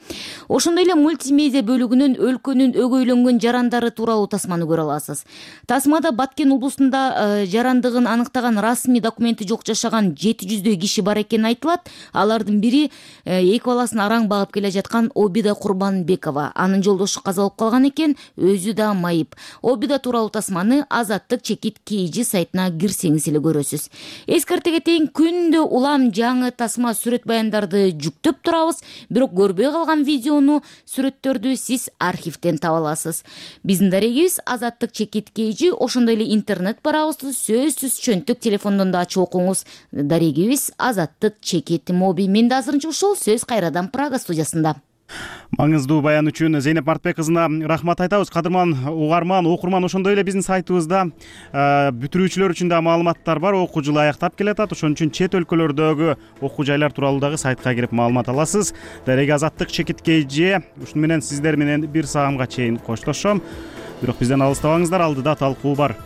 Ошондой эле мультимедиа бөлүгүнөн өлкөнүн өгөйлөнгөн жарандары тууралуу тасманы көрө аласыз. Тасмада Баткен облусунда жарандыгын аныктаган расмий документи жок жашаган жети жүздөй киши бар экени айтылат. Алардын бири эки баласын араң багып келе жаткан Обида Курбанбекова. Анын жолдошу каза болуп калган экен, өзү да майып. Обида тууралуу тасманы Азаттык чекит kg сайтына кирсеңиз эле көрөсүз. Эскерте кетейин, күндө улам жаңы тасма сүрөт баяндарды жүктөп турабыз, бирок көрбөй калган видеону, сүрөттөрдү сиз архивден таба аласыз. Биздин дарегибиз Азаттык чекит kg, ошондой эле интернет барабызды сөзсүз чөнтүк телефондон да ачып окуңуз. Дарегибиз Азаттык чекит моби. Мен да азырынча ушул, сөз кайрадан Прага студиясында. Маңыздуу баян үчүн Зейнеп Мартбек кызына рахмат айтабыз. Кадырман угарман, окурман, ошондой эле биздин сайтыбызда бүтүрүүчүлөр үчүн да маалыматтар бар. Окуу жылы аяктап келатат. Ошон үчүн чет өлкөлөрдөгү окуу жайлар тууралуу дагы сайтка кирип маалымат аласыз. Дареги Азаттык чекит kg. Ушуну менен сиздер менен бир саамга чейин коштошом. Бирок бизден алыстабаңыздар, алдыда талкуу бар.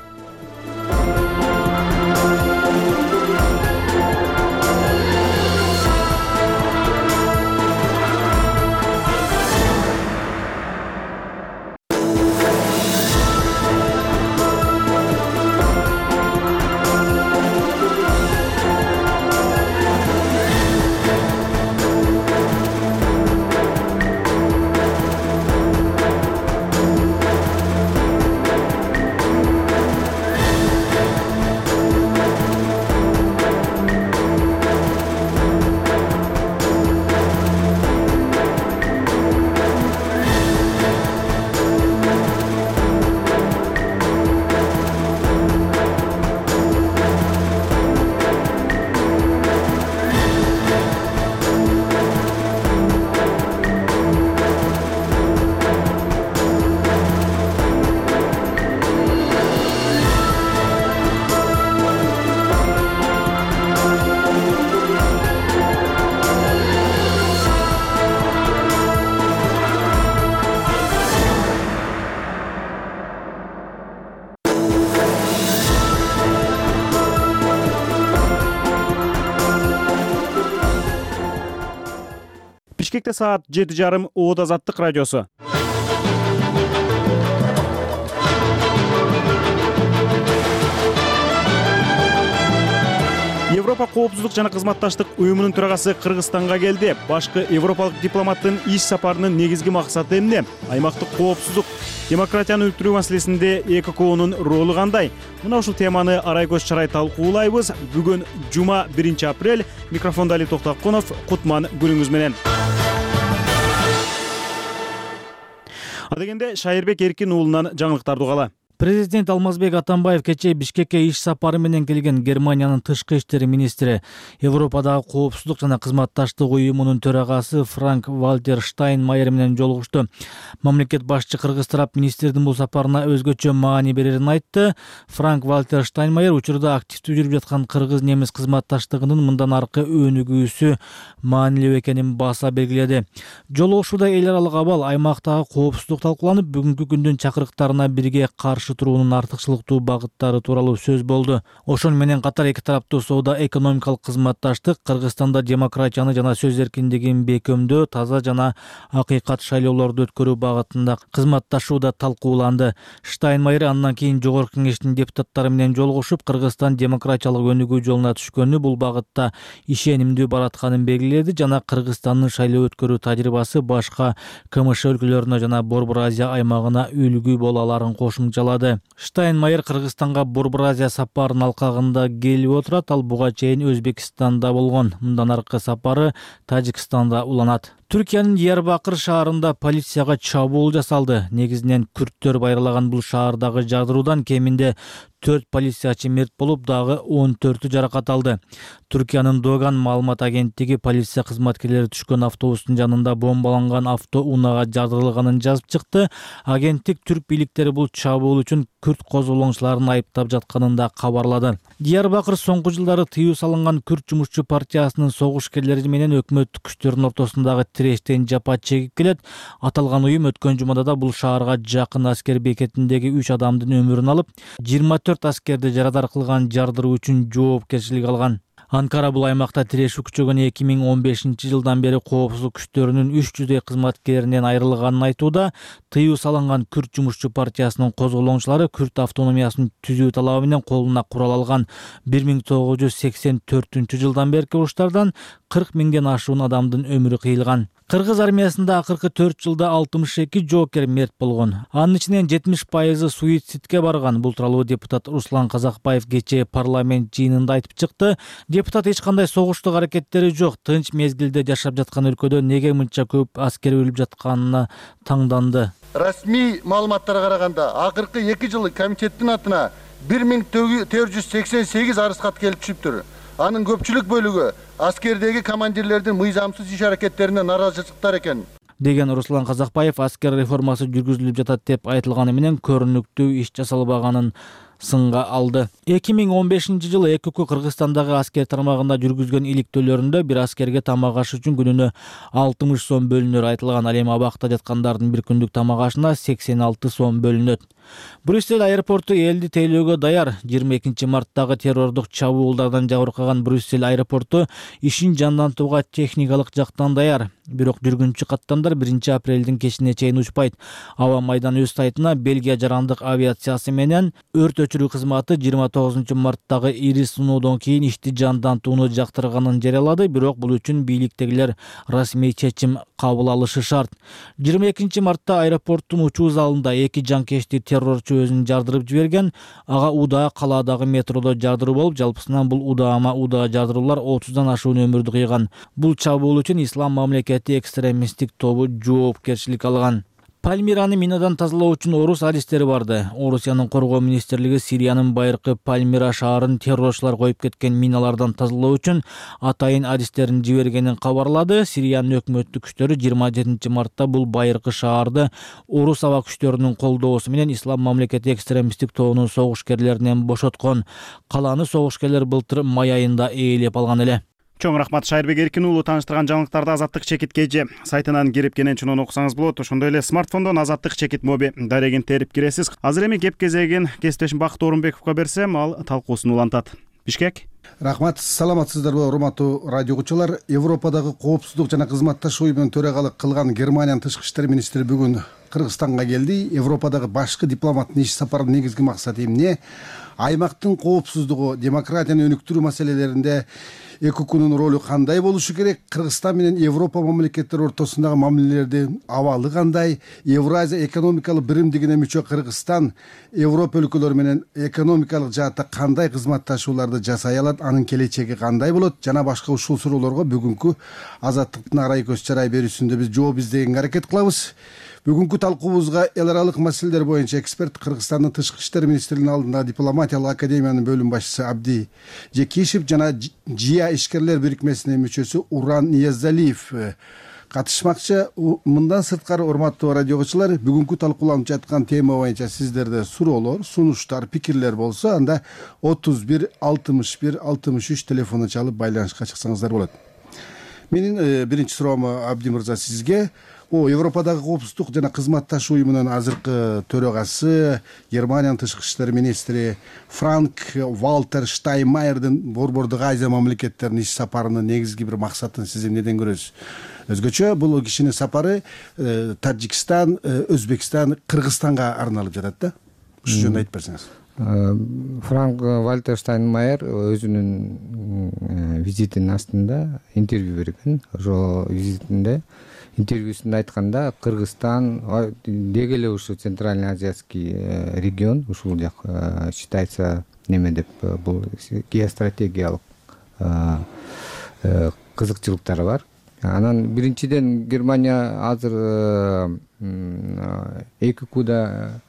Бишкекте саат жети жарым Оот Азаттык радиосу. Европа коопсуздук жана кызматташтык уюмунун төрагасы Кыргызстанга келди. Башкы европалык дипломаттын иш сапарынын негизги максаты эмне? Аймактык коопсуздук, демократияны өлтүрүү маселесинде Э К Кнын ролу кандай? Мына ушул теманы арай көз чарай талкуулайбыз. Бүгүн жума биринчи апрель. Микрофондо Али Токтоконов, Кутман күнүңүз менен. Адегенде Шайырбек Эркин уулунан жаңылыктарды угалы. Президент Алмазбек Атамбаев кечээ Бишкекке иш сапары менен келген Германиянын тышкы иштер министри, Европадагы коопсуздук жана кызматташтык уюмунун төрагасы Франк Вальтер Штайнмайер менен жолугушту. Мамлекет башчы кыргыз тарап министрдин бул сапарына өзгөчө маани берерин айтты. Франк Вальтер Штайнмайер учурда активдүү жүрүп жаткан кыргыз-немис кызматташтыгынын мындан аркы өнүгүүсү маанилүү экенин баса белгиледи. Жолугушууда эл аралык абал, аймактагы коопсуздук талкууланып, бүгүнкү күндүн чакырыктарына бирге каршы туруунун артыкчылыктуу багыттары тууралуу сөз болду. Ошону менен катар эки тараптуу соода экономикалык кызматташтык, Кыргызстанда демократияны жана сөз эркиндигин бекемдөө, таза жана акыйкат шайлоолорду өткөрүү багытында кызматташууда талкууланды. Штайнмайер андан кийин Жогорку Кеңештин депутаттары менен жолугушуп, Кыргызстан демократиялык өнүгүү жолуна түшкөнү, бул багытта ишенимдүү баратканын белгиледи жана Кыргызстандын шайлоо өткөрүү тажрыйбасы башка К М Ш өлкөлөрүнө жана Борбор Азия аймагына үлгү боло аларын кошумчалады. Штайнмайер Кыргызстанга Борбор Азия сапарынын алкагында келип отурат. Ал буга чейин Өзбекстанда болгон. Мындан аркы сапары Тажикстанда уланат. Түркиянын Диярбакыр шаарында полицияга чабуул жасалды. Негизинен күрттөр байралаган бул шаардагы жардыруудан кеминде төрт полициячы мерт болуп, дагы он төртү жаракат алды. Түркиянын Доган маалымат агенттиги полиция кызматкерлери түшкөн автобустун жанында бомбаланган автоунаага жардырылганын жазып чыкты. Агенттик түрк бийликтери бул чабуул үчүн күрт козголоңчуларын айыптап жатканын да кабарлады. Диярбакыр соңку жылдары тыюу салынган күрт жумушчу партиясынын согушкерлери менен өкмөт күчтөрүнүн ортосундагы тирештен жапа чегип келет. Аталган уюм өткөн жумада да бул шаарга жакын аскер бекетиндеги үч адамдын өмүрүн алып, жыйырма төрт аскерди жарадар кылган жардыруу үчүн жоопкерчилик алган. Анкара бул аймакта тирешүү күчөгөн эки миң он бешинчи жылдан бери коопсуздук күчтөрүнүн үч жүздөй кызматкеринен айрылганын айтууда. Тыюу салынган күрт жумушчу партиясынын козголоңчулары күрт автономиясын түзүү талабы менен колуна курал алган бир миң тогуз жүз сексен төртүнчү жылдан берки уруштардан кырк миңден ашуун адамдын өмүрү кыйылган. Кыргыз армиясында акыркы төрт жылда алтымыш эки жоокер мерт болгон. Анын ичинен жетимиш пайызы суицидке барган. Бул тууралуу депутат Руслан Казакбаев кечээ парламент жыйынында айтып чыкты. Депутат эч кандай согуштук аракеттери жок, тынч мезгилде жашап жаткан өлкөдө неге мынча көп аскер өлүп жатканына таңданды. Расмий маалыматтарга караганда, акыркы эки жылы комитеттин атына бир миң төрт жүз сексен сегиз арыз кат келип түшүптүр. Анын көпчүлүк бөлүгү аскердеги командирлердин мыйзамсыз иш аракеттерине наразычылыктар экен деген Руслан Казакбаев аскер реформасы жүргүзүлүп жатат деп айтылганы менен көрүнүктүү иш жасалбаганын сынга алды. эки миң он бешинчи жылы Э К К Кыргызстандагы аскер тармагында жүргүзгөн иликтөөлөрүндө бир аскерге тамак аш үчүн күнүнө алтымыш сом бөлүнөрү айтылган. Ал эми абакта жаткандардын бир күндүк тамак ашына сексен алты сом бөлүнөт. Брюссель аэропорту элди тейлөөгө даяр. жыйырма экинчи марттагы террордук чабуулдардан жабыркаган Брюссель аэропорту ишин жандантууга техникалык жактан даяр. Бирок жүргүнчү каттамдар биринчи апрелдин кечине чейин учпайт. Аба майдан өз сайтына Бельгия жарандык авиациясы менен өрт өчүрүү кызматы жыйырма тогузунчу марттагы ири сыноодон кийин ишти жандантууну жактырганын жарыялады. Бирок бул үчүн бийликтегилер расмий чечим кабыл алышы шарт. жыйырма экинчи мартта аэропорттун учуу залында эки жанкечти террорчу өзүн жардырып жиберген. Ага удаа калаадагы метродо жардыруу болуп, жалпысынан бул удаама удаа жардыруулар отуздан ашуун өмүрдү кыйган. Бул чабуул үчүн Ислам мамлекети экстремисттик тобу жоопкерчилик алган. Пальмираны минадан тазалоо үчүн орус адистери барды. Орусиянын коргоо министрлиги Сириянын байыркы Пальмира шаарын террорчулар коюп кеткен миналардан тазалоо үчүн атайын адистерин жибергенин кабарлады. Сириянын өкмөттүк күчтөрү жыйырма жетинчи мартта бул байыркы шаарды орус аба күчтөрүнүн колдоосу менен Ислам мамлекети экстремисттик тобунун согушкерлеринен бошоткон. Калааны согушкерлер былтыр май айында ээлеп алган эле. Чоң рахмат Шайырбек Эркин уулу. Тааныштырган жаңылыктарды Азаттык чекит кж сайтынан кирип кенен чунун окусаңыз болот. Ошондой эле смартфондон Азаттык чекит моби дарегин терип киресиз. Азыр эми кеп кезегин кесиптешим Бакыт Орунбековго берсем, ал талкуусун улантат. Бишкек. Рахмат, саламатсыздарбы урматтуу радио угуучулар. Европадагы коопсуздук жана кызматташ уюмунун төрагалык кылган Германиянын тышкы иштер министри бүгүн Кыргызстанга келди. Европадагы башкы дипломаттын иш сапарынын негизги максаты эмне? Аймактын коопсуздугу, демократияны өнүктүрүү маселелеринде ЭККнун ролу кандай болушу керек? Кыргызстан менен Европа мамлекеттери ортосундагы мамилелердин абалы кандай? Евразия экономикалык биримдигине мүчө Кыргызстан Европа өлкөлөрү менен экономикалык жаатта кандай кызматташууларды жасай алат? Анын келечеги кандай болот? Жана башка ушул суроолорго бүгүнкү Азаттыктын арай көз чарай берүүсүндө биз жооп издегенге аракет кылабыз. Бүгүнкү талкуубузга эл аралык маселелер боюнча эксперт, Кыргызстандын тышкы иштер министринин алдындагы дипломатиялык академиянын бөлүм башчысы Абди Жекишев жана Жия ишкерлер бирикмесинин мүчөсү Уран Ниязалиев катышмакчы. Мындан сырткары, урматтуу радио угуучулар, бүгүнкү талкууланып жаткан тема боюнча сиздерде суроолор, сунуштар, пикирлер болсо, анда отуз бир алтымыш бир алтымыш үч телефону чалып байланышка чыксаңыздар болот. Менин биринчи суроом Абди мырза сизге. О, Европадагы коопсуздук жана кызматташ уюмунун азыркы төрагасы, Германиянын тышкы иштер министри Франк Валтер Штайнмайердин Борбордук Азия мамлекеттеринин иш сапарынын негизги бир максатын сиз эмнеден көрөсүз? Өзгөчө бул кишинин сапары Тажикстан, Өзбекстан, Кыргызстанга арналып жатат да. Ушул жөнүндө айтып берсеңиз. Франк Валтер Штайнмайер өзүнүн визитинин астында интервью берген. Ошол визитинде интервьюсунда айтканда, Кыргызстан деги эле ушу Центральный Азиатский регион, ушул жак считается неме деп, бул геостратегиялык кызыкчылыктары бар. Анан биринчиден Германия азыр ЭККда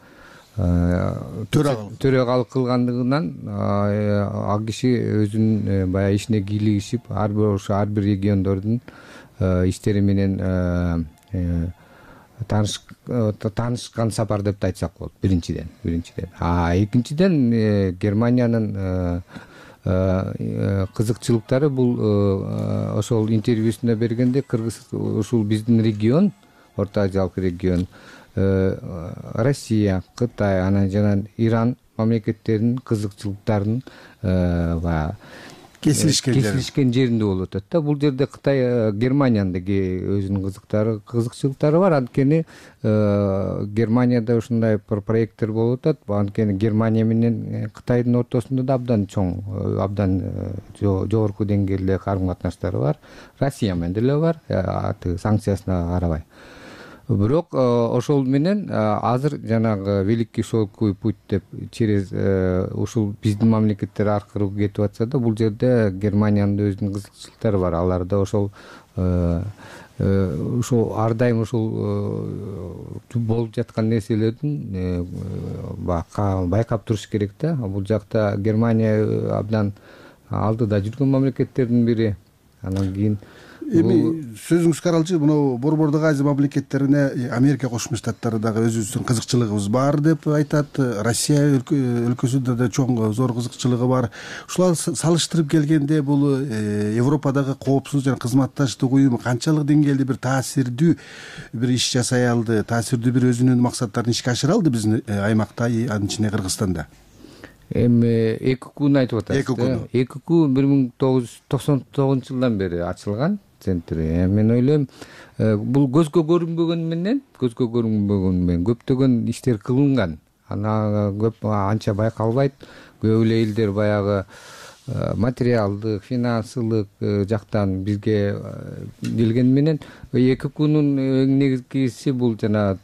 төрагалык кылгандыгынан ал киши өзүнүн баягы ишине кийлигишип, ар бир ошо ар бир региондордун иштери менен таанышкан сапар деп айтсак болот. Биринчиден, биринчиден. А экинчиден Германиянын кызыкчылыктары бул ошол интервьюсунда бергенде Кыргыз ушул биздин регион, Орто Азиялык регион, Россия, Кытай, анан жана Иран мамлекеттеринин кызыкчылыктарын баягы кесилишкен жеринде болуп атат да. Бул жерде Кытай, Германиянын деги өзүнүн кызыктары, кызыкчылыктары бар. Анткени Германияда ушундай бир проекттер болуп атат. Анткени Германия менен Кытайдын ортосунда да абдан чоң, абдан жогорку деңгээлде карым-катнаштары бар. Россия менен деле бар, санкциясына карабай. Бирок ошол менен азыр жанагы Великий шелковый путь деп через ушул биздин мамлекеттер аркылуу кетип атса да, бул жерде Германиянын өзүнүн кызыкчылыктары бар. Аларда ошол ошол ар дайым ушул болуп жаткан нерселердин байкап туруш керек да. Бул жакта Германия абдан алдыда жүргөн мамлекеттердин бири. Анан кийин Эми сөзүңүз каралчы, мына Борбордук Азия мамлекеттерине Америка Кошмо Штаттары дагы өзүбүздүн кызыкчылыгыбыз бар деп айтат. Россия өлкөсүндө да чоң зор кызыкчылыгы бар. Ушуларды салыштырып келгенде бул Европадагы коопсуз жана кызматташтык уюму канчалык деңгээлде бир таасирдүү бир иш жасай алды, таасирдүү бир өзүнүн максаттарын ишке ашыра алды биздин аймакта, анын ичинде Кыргызстанда? Эми ЭККны айтып атасыз. ЭКК бир миң тогуз жүз токсон тогузунчу жылдан бери ачылган центр. Мен ойлойм, бул көзгө көрүнбөгөн менен, көзгө көрүнбөгөн менен көптөгөн иштер кылынган. Ана көп анча байкалбайт. Көп эле элдер баягы материалдык, финансылык жактан бизге келген менен ЭККнун эң негизгиси бул жана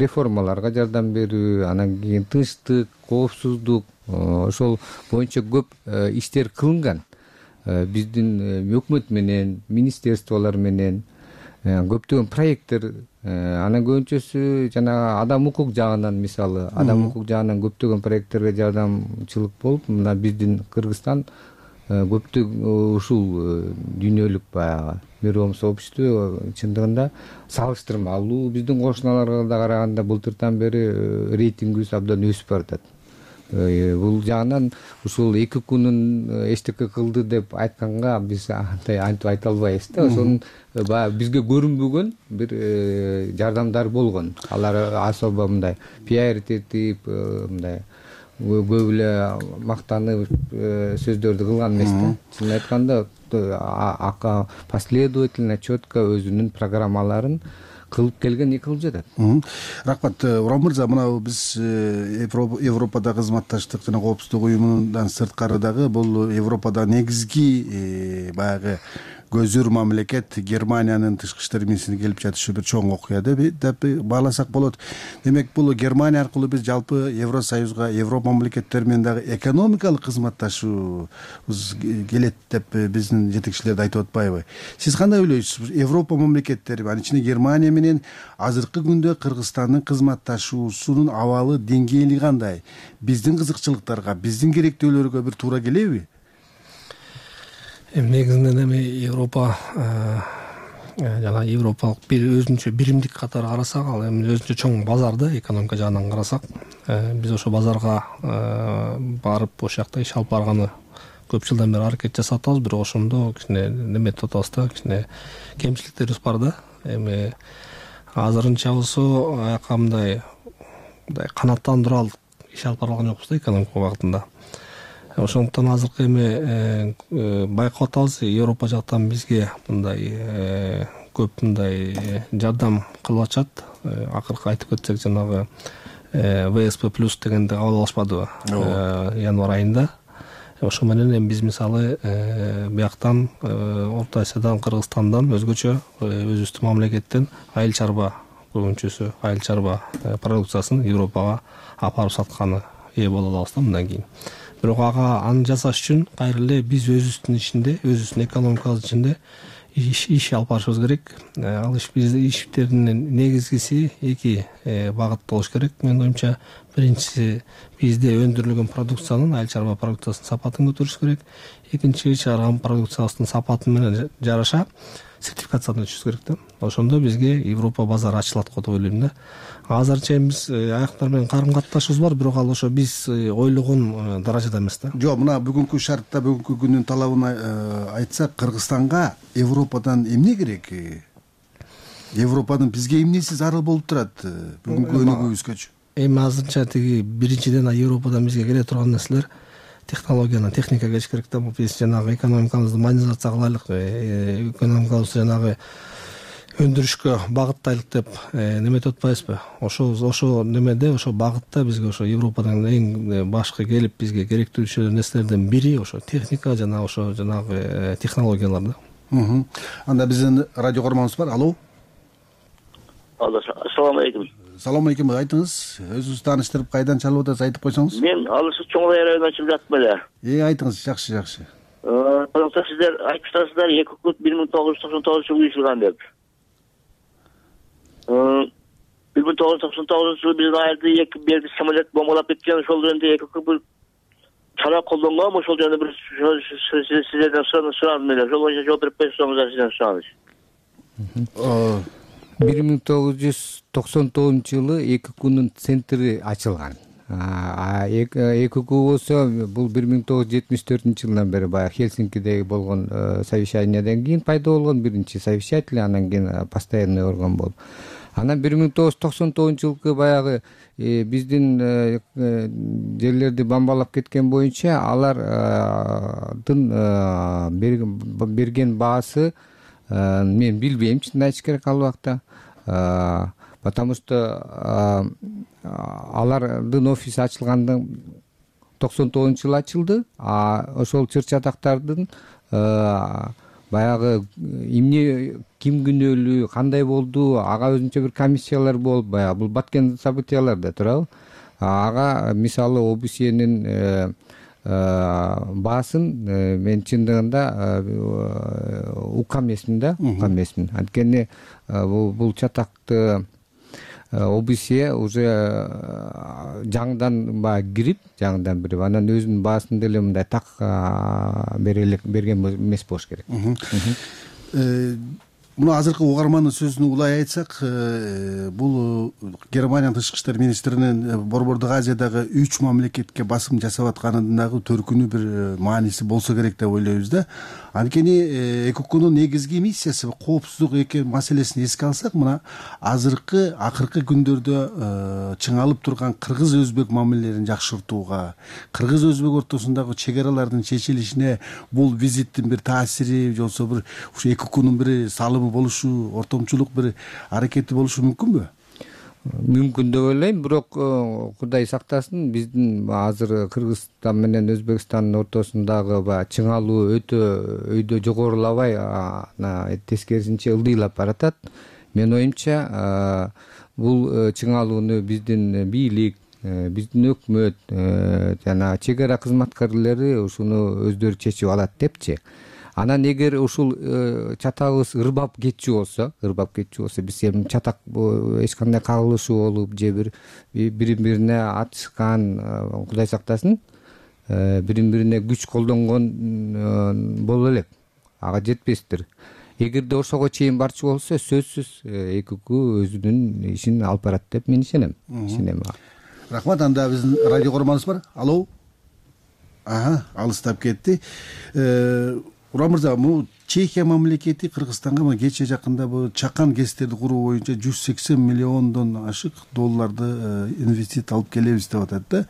реформаларга жардам берүү, анан кийин тынчтык, коопсуздук, ошол боюнча көп иштер кылынган. Биздин өкмөт менен, министерстволор менен көптөгөн проекттер, анан көбүнчөсү жана адам укук жагынан, мисалы, адам укук жагынан көптөгөн проекттерге жардамчылык болуп, мына биздин Кыргызстан көптөгөн ушул дүйнөлүк баягы мировом сообществе чындыгында салыштырмалуу биздин кошуналарга да караганда былтыртан бери рейтингибиз абдан өсүп баратат. Бул жагынан ушул ЭККнун эчтеке кылды деп айтканга биз андай антип айта албайбыз да. Ошонун баягы бизге көрүнбөгөн бир жардамдар болгон. Алар особо мындай пиар этип, мындай көп эле мактанып сөздөрдү кылган эмес да. Чынын айтканда последовательно четко өзүнүн программаларын кылып келген эки кыл жатат. Рахмат Урам мырза, мына биз Европадагы кызматташтык жана коопсуздук уюмунан сырткары дагы бул Европада негизги баягы көзүр мамлекет Германиянын тышкы иштер министри келип жатышы бир чоң окуя деп бааласак болот. Демек бул Германия аркылуу биз жалпы Евросоюзга, Европа мамлекеттери менен дагы экономикалык кызматташуубуз келет деп биздин жетекчилер да айтып атпайбы? Сиз кандай ойлойсуз? Европа мамлекеттери, анын ичинде Германия менен азыркы күндө Кыргызстандын кызматташуусунун абалы, деңгээли кандай? Биздин кызыкчылыктарга, биздин керектөөлөргө бир туура келеби? Эми негизинен эми Европа жана европалык бир өзүнчө биримдик катары карасак, ал эми өзүнчө чоң базар да, экономика жагынан карасак. Биз ошо базарга барып ошол жакта иш алып барганы көп жылдан бери аракет жасап атабыз, бирок ошондо кичине неме деп атабыз да, кичине кемчиликтерибиз бар да. Эми азырынча болсо аяка мындай мындай канааттандыруу алып иш алып бара алган жокпуз да экономика багытында. Ошондуктан азыркы эми байкап атабыз, Европа жактан бизге мындай көп мындай жардам кылып атышат. Акыркы айтып кетсек, жанагы вэ эс пэ плюс дегенди кабыл алышпадыбы январь айында. Ошо менен эми биз мисалы бияктан Орто Азиядан, Кыргызстандан өзгөчө өзүбүздүн мамлекеттен айыл чарба көбүнчөсү айыл чарба продукциясын Европага алып барып сатканы ээ боло алабыз да мындан кийин. Бирок ага аны жасаш үчүн кайра эле биз өзүбүздүн ичинде, өзүбүздүн экономикабыз ичинде иш иш алып барышыбыз керек. Ал иш биздин иштердин негизгиси эки багыт болуш керек. Менин оюмча, биринчиси бизде өндүрүлгөн продукциянын, айыл чарба продукциясынын сапатын көтөрүш керек. Экинчи, чыгарган продукциябыздын сапаты менен жараша сертификациядан өтүшүбүз керек да. Ошондо бизге Европа базары ачылат го деп ойлойм да. Азырынча биз аяктар менен карым катташыбыз бар, бирок ал ошо биз ойлогон даражада эмес да. Жок, мына бүгүнкү шартта, бүгүнкү күнүн талабын айтсак, Кыргызстанга Европадан эмне керек? Европанын бизге эмнеси зарыл болуп турат бүгүнкү өнүгүүбүзгөчү? Эми азырынча тиги биринчиден Европадан бизге келе турган нерселер технологияны, техника келиш керек да. Биз жанагы экономикабызды модернизация кылайлык, экономикабызды жанагы өндүрүшкө багыттайлык деп неме деп атпайбызбы? Ошо ошо немеде, ошо багытта бизге ошо Европадан эң башкы келип бизге керектүү нерселердин бири ошо техника жана ошо жанагы технологиялар да. Анда биздин радио көрөрманыбыз бар. Алло. Алло, ассаламу алейкум. Салам алейкум, айтыңыз. Өзүңүз тааныштырып, кайдан чалып атасыз, айтып койсоңуз. Мен Алышы Чоң районунан чалып жатмын эле. Э, айтыңыз, жакшы, жакшы. Э, сиздер айтып атасыздар, эки күн бир миң тогуз жүз токсон тогузунчу жылы уюшулган деп. бир миң тогуз жүз токсон тогузунчу жылы биздин айылды эки берди самолет бомбалап кеткен, ошол жөнүндө эки күн бир чара колдонгом, ошол жөнүндө бир сиздерден сурадым эле. Ошол боюнча жооп берип койсоңуз, сизден сураныч. бир миң тогуз жүз токсон тогузунчу жылы эки күнүн центри ачылган. эки күн болсо бул бир миң тогуз жүз жетимиш төртүнчү жылдан бери баягы Хельсинкидеги болгон совещаниядан кийин пайда болгон биринчи совещатель, анан кийин постоянный орган болуп. Анан бир миң тогуз жүз токсон тогузунчу жылкы баягы биздин жерлерди бомбалап кеткен боюнча алардын берген баасы мен билбейм, чын айтыш керек ал убакта. Потому что алардын офиси ачылгандан токсон тогузунчу жылы ачылды, а ошол чыр-чатактардын баягы эмне, ким күнөөлүү, кандай болду, ага өзүнчө бир комиссиялар болуп, баягы бул баткен событиялар да турабы. Ага мисалы ОБСЕнин баасын мен чындыгында укам эсмин да, укам эсмин. Анткени бул чатакты ОБСЕ уже жаңыдан баягы кирип, жаңыдан бирип, анан өзүнүн баасын деле мындай так берген эмес болуш керек. мына азыркы угармандын сөзүн улай айтсак, бул Германиянын тышкы иштер министринин Борбордук Азиядагы үч мамлекетке басым жасап атканынын дагы төркүнү бир мааниси болсо керек деп ойлойбуз да. Анткени ЭКОКунун негизги миссиясы коопсуздук экен маселесин эске алсак, мына азыркы акыркы күндөрдө чыңалып турган кыргыз өзбек мамилелерин жакшыртууга, кыргыз өзбек ортосундагы чек аралардын чечилишине бул визиттин бир таасири, же болбосо бир ушу ЭКОКунун бир салымы болушу, ортомчулук бир аракети болушу мүмкүнбү? Мүмкүн деп ойлойм, бирок Кудай сактасын, биздин азыр Кыргызстан менен Өзбекстандын ортосундагы баягы чыңалуу өтө өйдө жогорулабай, тескерисинче ылдыйлап баратат. Менин оюмча, бул чыңалууну биздин бийлик, биздин өкмөт жана чек ара кызматкерлери ушуну өздөрү чечип алат депчи. Анан эгер ушул чатагыбыз ырбап кетчү болсо, ырбап кетчү болсо, биз эми чатак эч кандай кагылышуу болуп, же бир бири-бирине атышкан, Кудай сактасын, бири-бирине күч колдонгон боло элек, ага жетпестир. Эгерде ошого чейин барчу болсо, сөзсүз ЭКОК өзүнүн ишин алып барат деп мен ишенем. Ишенем. Рахмат. Анда биздин радио көрөрманыбыз бар. Алло. Ага, алыстап кетти. Урам мырза, бул Чехия мамлекети Кыргызстанга мына кече жакында бул чакан гэстерди куруу боюнча жүз сексен миллиондон ашык долларды инвестиция алып келебиз деп атат да.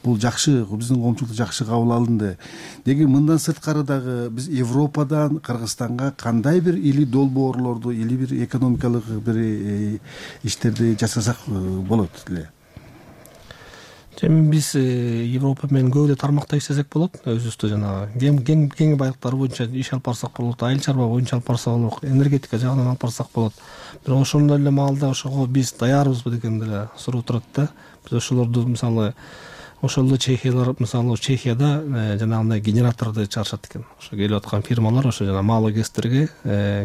Бул жакшы, биздин коомчулукта жакшы кабыл алынды. Деги мындан сырткары дагы биз Европадан Кыргызстанга кандай бир или долбоорлорду, или бир экономикалык бир иштерди жасасак болот эле? Эми биз Европа менен көп эле тармакта иштесек болот. Өзүбүздө жанагы кең кең байлыктар боюнча иш алып барсак болот, айыл чарба боюнча алып барсак болот, энергетика жагынан алып барсак болот. Бирок ошондой эле маалда ошого биз даярбызбы деген деле суроо турат да. Биз ошолорду мисалы ошол эле Чехиялар, мисалы Чехияда жанагындай генераторду чыгарышат экен. Ошо келип аткан фирмалар ошо жана малый гэстерге,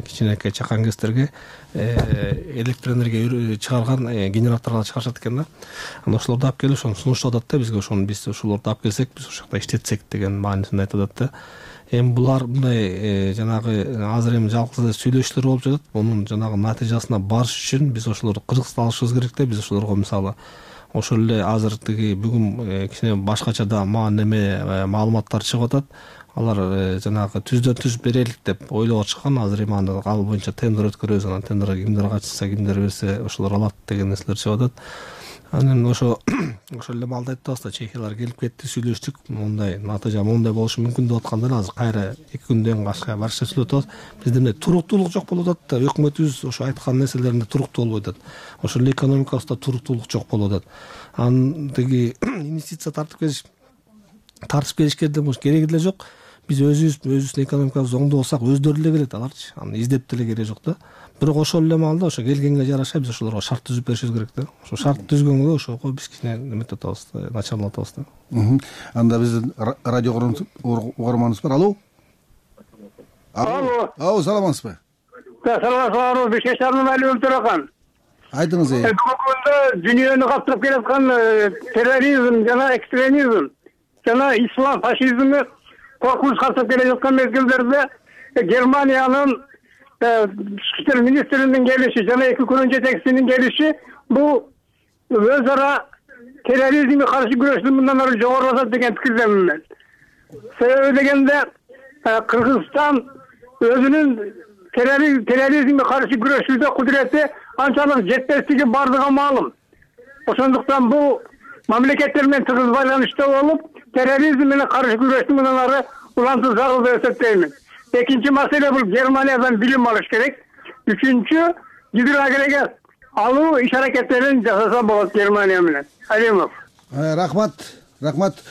кичинекей чакан гэстерге электр энергия чыгарган генераторлор чыгарышат экен да. Анан ошолорду алып келип ошону сунуштап атат да бизге, ошону биз ошолорду алып келсек, биз ошол жакта иштетсек деген маанисинде айтып атат да. Эми булар мындай жанагы азыр эми жалгыз сүйлөшүүлөр болуп жатат. Мунун жанагы натыйжасына барыш үчүн биз ошолорду кыргызча алышыбыз керек да. Биз ошолорго мисалы ошол эле азыр тиги бүгүн кичине башкача да неме маалыматтар чыгып атат. Алар жанагы түздөн түз берелик деп ойлоп чыккан. Азыр эми аны ал боюнча тендер өткөрөбүз, анан тендерге кимдер катышса, кимдер берсе ошолор алат деген нерселер чыгып атат. Анан ошо ошол эле маалда айтып атабыз да, чехиялар келип кетти, сүйлөштүк, мондай натыйжа мондай болушу мүмкүн деп атканда азыр кайра эки күндөн башка барышта сүйлөп атабыз. Бизде эмне туруктуулук жок болуп атат да, өкмөтүбүз ошо айткан нерселеринде туруктуу болбой атат. Ошол эле экономикабызда туруктуулук жок болуп атат. Анан тиги инвестиция тартып келиш тартып келишке деле кереги деле жок. Биз өзүбүз өзүбүздүн экономикабызды оңдосок, өздөрү эле келет аларчы. Аны издеп деле кереги жок да. Бирок ошол эле маалда ошо келгенге жараша биз ошолорго шарт түзүп беришибиз керек да. Ошо шарт түзгөнгө ошого биз кичине эметип атабыз, начарлап атабыз да. Анда биздин радио угарманыбыз бар. Алло. Алло. Алло, саламатсызбы? Саламатсызбы, Бишкек шаарынын Алиев Төракан. Айтыңыз. Бүгүндө дүйнөнү каптырып келаткан терроризм жана экстремизм жана ислам фашизмге коркунуч каптырып келе жаткан мезгилдерде Германиянын тышкы иштер министринин келиши жана эки күнүн жетекчисинин келиши бул өз ара терроризмге каршы күрөштү мындан ары жогорулатат деген пикирдемин мен. Себеби дегенде Кыргызстан өзүнүн терроризмге каршы күрөшүүдө кудурети анчалык жетпестиги бардыгы маалым. Ошондуктан бул мамлекеттер менен тыгыз байланышта болуп, терроризм менен каршы күрөштү мындан ары улантуу зарыл деп эсептеймин. Экинчи маселе бул Германиядан билим алыш керек. Үчүнчү гидроагрегат алуу иш аракеттерин жасаса болот Германия менен. Алимов. Рахмат, рахмат.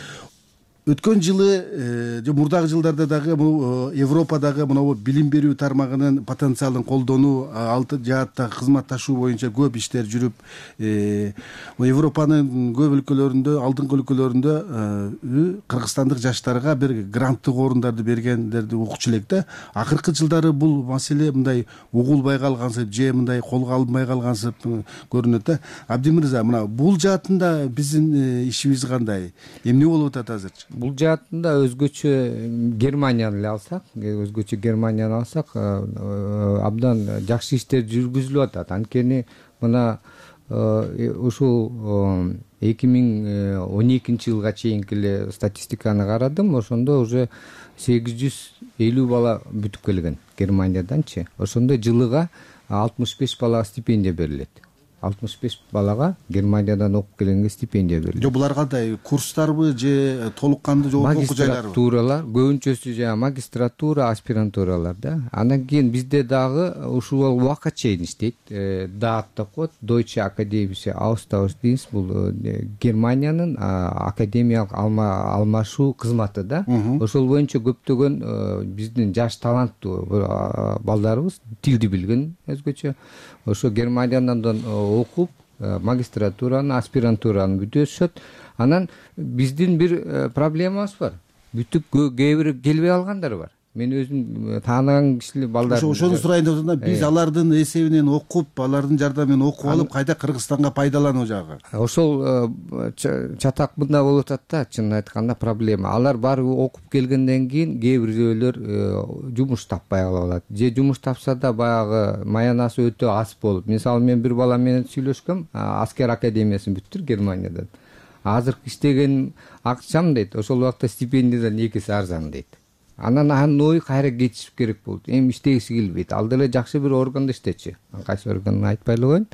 Өткөн жылы же мурдагы жылдарда дагы бул Европадагы мына билим берүү тармагынын потенциалын колдонуу, алты жааттагы кызматташуу боюнча көп иштер жүрүп, Европанын көп өлкөлөрүндө, алдыңкы өлкөлөрүндө кыргызстандык жаштарга бир гранттык орундарды бергендерди укчу элек да. Акыркы жылдары бул маселе мындай угулбай калгансып, же мындай колго алынбай калгансып көрүнөт да. Абдимырза, мына бул жаатында биздин ишибиз кандай? Эмне болуп атат азырчы? бул жаатында өзгөчө Германияны эле алсак, өзгөчө Германияны алсак, абдан жакшы иштер жүргүзүлүп атат. Анткени мына ушул эки миң он экинчи жылга чейинки эле статистиканы карадым. Ошондо уже сегиз жүз элүү бала бүтүп келген Германияданчы. Ошондо жылыга алтымыш беш балага стипендия берилет. алтымыш беш балага Германиядан окуп келгенге стипендия берилет. Жок, булар кандай курстарбы же толук кандуу жогорку окуу жайларбы? Магистратуралар, көбүнчөсү жана магистратура, аспирантуралар да. Андан кийин бизде дагы ушул убакка чейин иштейт. даат деп коет, Deutsche Akademische Austauschdienst, бул Германиянын академиялык алмашуу кызматы да. Ошол боюнча көптөгөн биздин жаш таланттуу балдарыбыз тилди билген өзгөчө ошо Германиядан окуп магистратураны, аспирантураны бүтүшөт. Анан биздин бир проблемабыз бар. Бүтүп кээ бир келбей алгандар бар. Мен өзүм тааныган кишилер балдар. Ошону сурайын деп атам. Биз алардын эсебинен окуп, алардын жардамы менен окуп алып, кайда Кыргызстанга пайдалануу жагы. Ошол чатак мында болуп атат да, чынын айтканда проблема. Алар барып окуп келгенден кийин кээ бирөөлөр жумуш таппай калат. Же жумуш тапса да баягы маянасы өтө аз болуп. Мисалы мен бир бала менен сүйлөшкөм, аскер академиясын бүттүр Германиядан. Азыркы иштеген акчам дейт, ошол убакта стипендиядан экиси арзан дейт. Анан анын ою кайра кетишип керек болду. Эми иштегиси келбейт. Ал деле жакшы бир органда иштечү. Кайсы органын айтпай эле коеюн.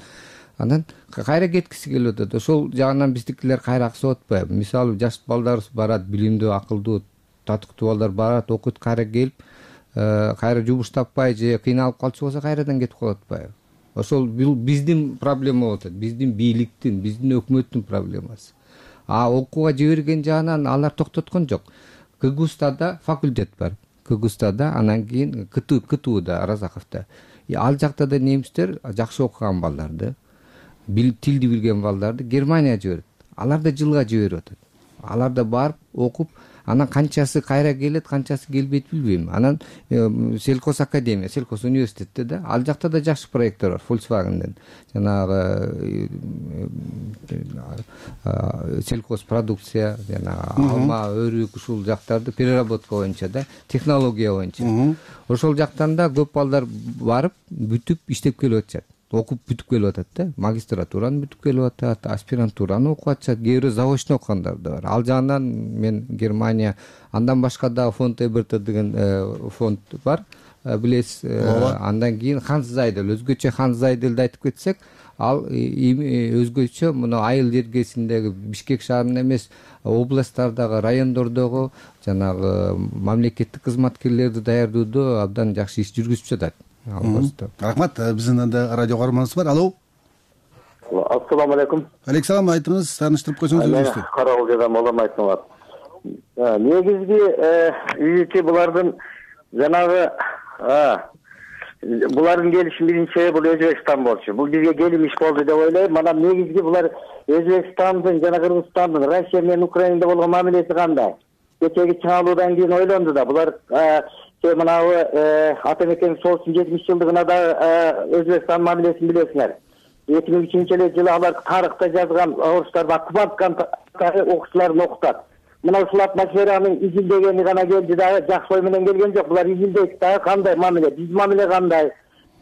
Анан кайра кеткиси келип атат. Ошол жагынан биздикилер кайра аксап атпайбы? Мисалы жаш балдарыбыз барат, билимдүү, акылдуу, татыктуу балдар барат, окуйт, кайра келип, кайра жумуш таппай же кыйналып калчу болсо кайрадан кетип калып атпайбы? Ошол биздин проблема болуп атат. Биздин бийликтин, биздин өкмөттүн проблемасы. А окууга жиберген жагынан алар токтоткон жок. Кыгустада факультет бар. Кыгустада, анан кийин КТУда, Разаховда. Ал жакта да немистер жакшы окуган балдарды, тилди билген балдарды Германияга жиберет. Алар да жылга жиберип атат. Алар да барып окуп, анан канчасы кайра келет, канчасы келбейт билбейм. Анан Селкос академия, Селкос университетте да ал жакта да жакшы проекттер бар, Volkswagen'ден. Жанагы селкос продукция, жана алма, өрүк, ушул жактарды переработка боюнча да, технология боюнча. Ошол жактан да көп балдар барып, бүтүп иштеп келип атышат. Окуп бүтүп келип атат да, магистратураны бүтүп келип атат, аспирантураны окуп атышат, кээ бирөө заочно окугандар да бар. Ал жагынан мен Германия, андан башка да фонд Эберта деген фонд бар, билесиз. Андан кийин Ханс Зайдел, өзгөчө Ханс Зайделди айтып кетсек, ал өзгөчө мына айыл жергесиндеги Бишкек шаарында эмес, областтардагы, райондордогу жанагы мамлекеттик кызматкерлерди даярдоодо абдан жакшы иш жүргүзүп жатат. Рахмат, биздин анда радио каарманыбыз бар. Алло. Ассаламу алейкум. Алейкум, айтыңыз, тааныштырып койсоңуз өзүңүздү. Мен Карагул жадан Молом айтмак. Негизги үйүчү булардын жанагы булардын келиши биринчи бул Өзбекстан болчу. Бул бизге келим иш болду деп ойлойм. Анан негизги булар Өзбекстандын жана Кыргызстандын Россия менен Украинада болгон мамилеси кандай? Кечеги чыгаалуудан кийин ойлонду да, булар мынабы ата мекенин соғыстын жетимиш жылдыгына да Өзбекстан мамилесин билесиңер. эки миң үчүнчү жылы алар тарыхта жазган орустарда окубаткан окуучуларын окутат. Мына ушул атмосферанын изилдегени гана келди дагы, жакшы ой менен келген жок. Булар изилдейт дагы кандай мамиле, биз мамиле кандай?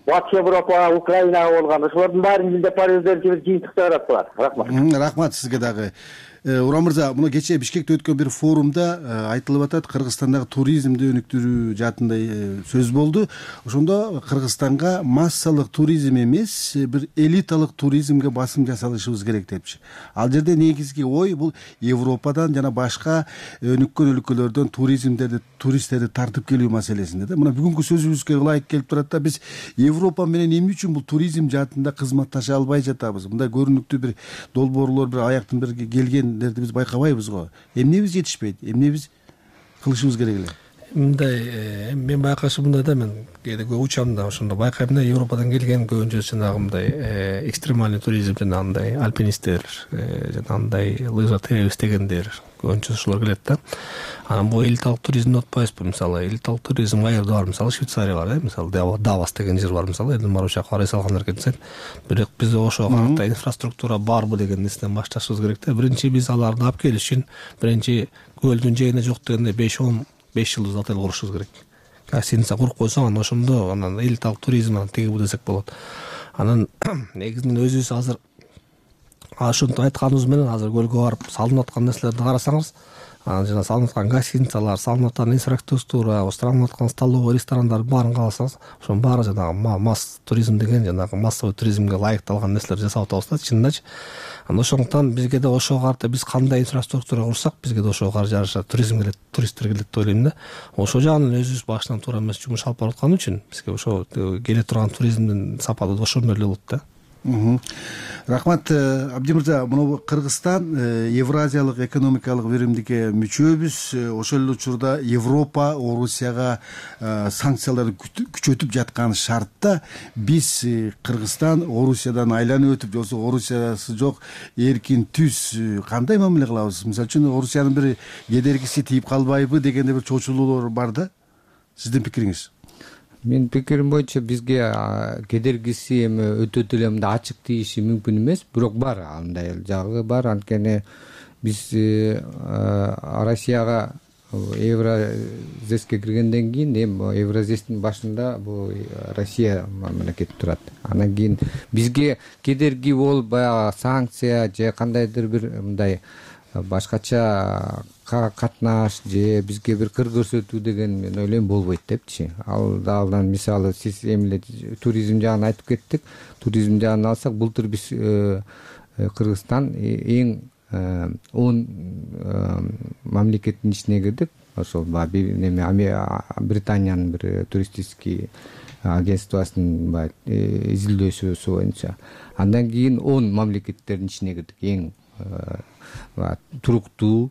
Батыш Европа, Украинага болгон ошолордун баарын изилдеп барып өздөрүнчө бир жыйынтык чыгарат булар. Рахмат. Рахмат сизге дагы. Урам мырза, мына кечээ Бишкекте өткөн бир форумда айтылып атат, Кыргызстандагы туризмди өнүктүрүү жаатында сөз болду. Ошондо Кыргызстанга массалык туризм эмес, бир элиталык туризмге басым жасалышыбыз керек депчи. Ал жерде негизги ой бул Европадан жана башка өнүккөн өлкөлөрдөн туризмдерди, туристтерди тартып келүү маселесинде да. Мына бүгүнкү сөзүбүзгө ылайык келип турат да, биз Европа менен эмне үчүн бул туризм жаатында кызматташа албай жатабыз? Мындай көрүнүктүү бир долбоорлор, бир аяктын бир келген биз байкабайбыз го. Эмне биз жетишпейт? Эмне биз кылышыбыз керек эле? мындай мен байкашым мындай да, мен кээде көп учам да, ошондо байкайм да, Европадан келген көбүнчө жанагы мындай экстремальный туризм, жанагындай альпинисттер, жанагындай лыжа терип истегендер көбүнчө ошолор келет да. Анан бул элиталык туризмди утпайбызбы? Мисалы элиталык туризм каерде бар? Мисалы Швейцария бар, э, мисалы Давос деген жер бар, мисалы элдин баары ушакка карай салгандар экен. Бирок биз ошого карата инфраструктура барбы деген нерседен башташыбыз керек да. Биринчи биз аларды алып келиш үчүн биринчи көлдүн жээгине жок дегенде беш он беш жылдыз отель курушубуз керек. Гостиница куруп койсоң, анан ошондо анан элиталык туризм анан тиги бу десек болот. Анан негизинен өзүбүз азыр ошентип айтканыбыз менен азыр көлгө барып салынып аткан нерселерди карасаңыз, анан жана салынып аткан гостиницалар, салынып аткан инфраструктура, салынып аткан столовый, ресторандардын баарын карасаңыз, ошонун баары жанагы масс туризм деген, жанагы массовый туризмге ылайыкталган нерселер жасап атабыз да, чынындачы. Анан ошондуктан бизге да ошого карата биз кандай инфраструктура курсак, бизге да ошого каршы жараша туризм келет, туристтер келет деп ойлойм да. Ошол жагынан өзүбүз башынан туура эмес жумуш алып бараткан үчүн бизге ошо келе турган туризмдин сапаты да ошондой эле болот да. Рахмат Абди мырза, мына Кыргызстан Евразиялык экономикалык биримдикке мүчөбүз. Ошол эле учурда Европа Орусияга санкцияларды күчөтүп жаткан шартта биз Кыргызстан Орусиядан айланып өтүп, жоксо Орусиясы жок эркин түз кандай мамиле кылабыз? Мисалы үчүн Орусиянын бир кедергиси тийип калбайбы дегенде бир чочулуулар бар да. Сиздин пикириңиз? Менин пикирим боюнча бизге кедергиси эми өтө деле мындай ачык тийиши мүмкүн эмес, бирок бар, андай жагы бар. Анткени биз Россияга Евразеске киргенден кийин, эми Евразестин башында бул Россия мамлекети турат. Анан кийин бизге кедерги болуп баягы санкция же кандайдыр бир мындай башкача катнаш же бизге бир кыр көрсөтүү деген мен ойлойм болбойт депчи. Ал дагы мисалы сиз эмне туризм жагын айтып кеттик. Туризм жагын алсак, былтыр биз Кыргызстан эң он мамлекеттин ичине кирдик. Ошол Британиянын бир туристический агентствосунун изилдөөсү боюнча. Андан кийин он мамлекеттердин ичине кирдик. Эң туруктуу,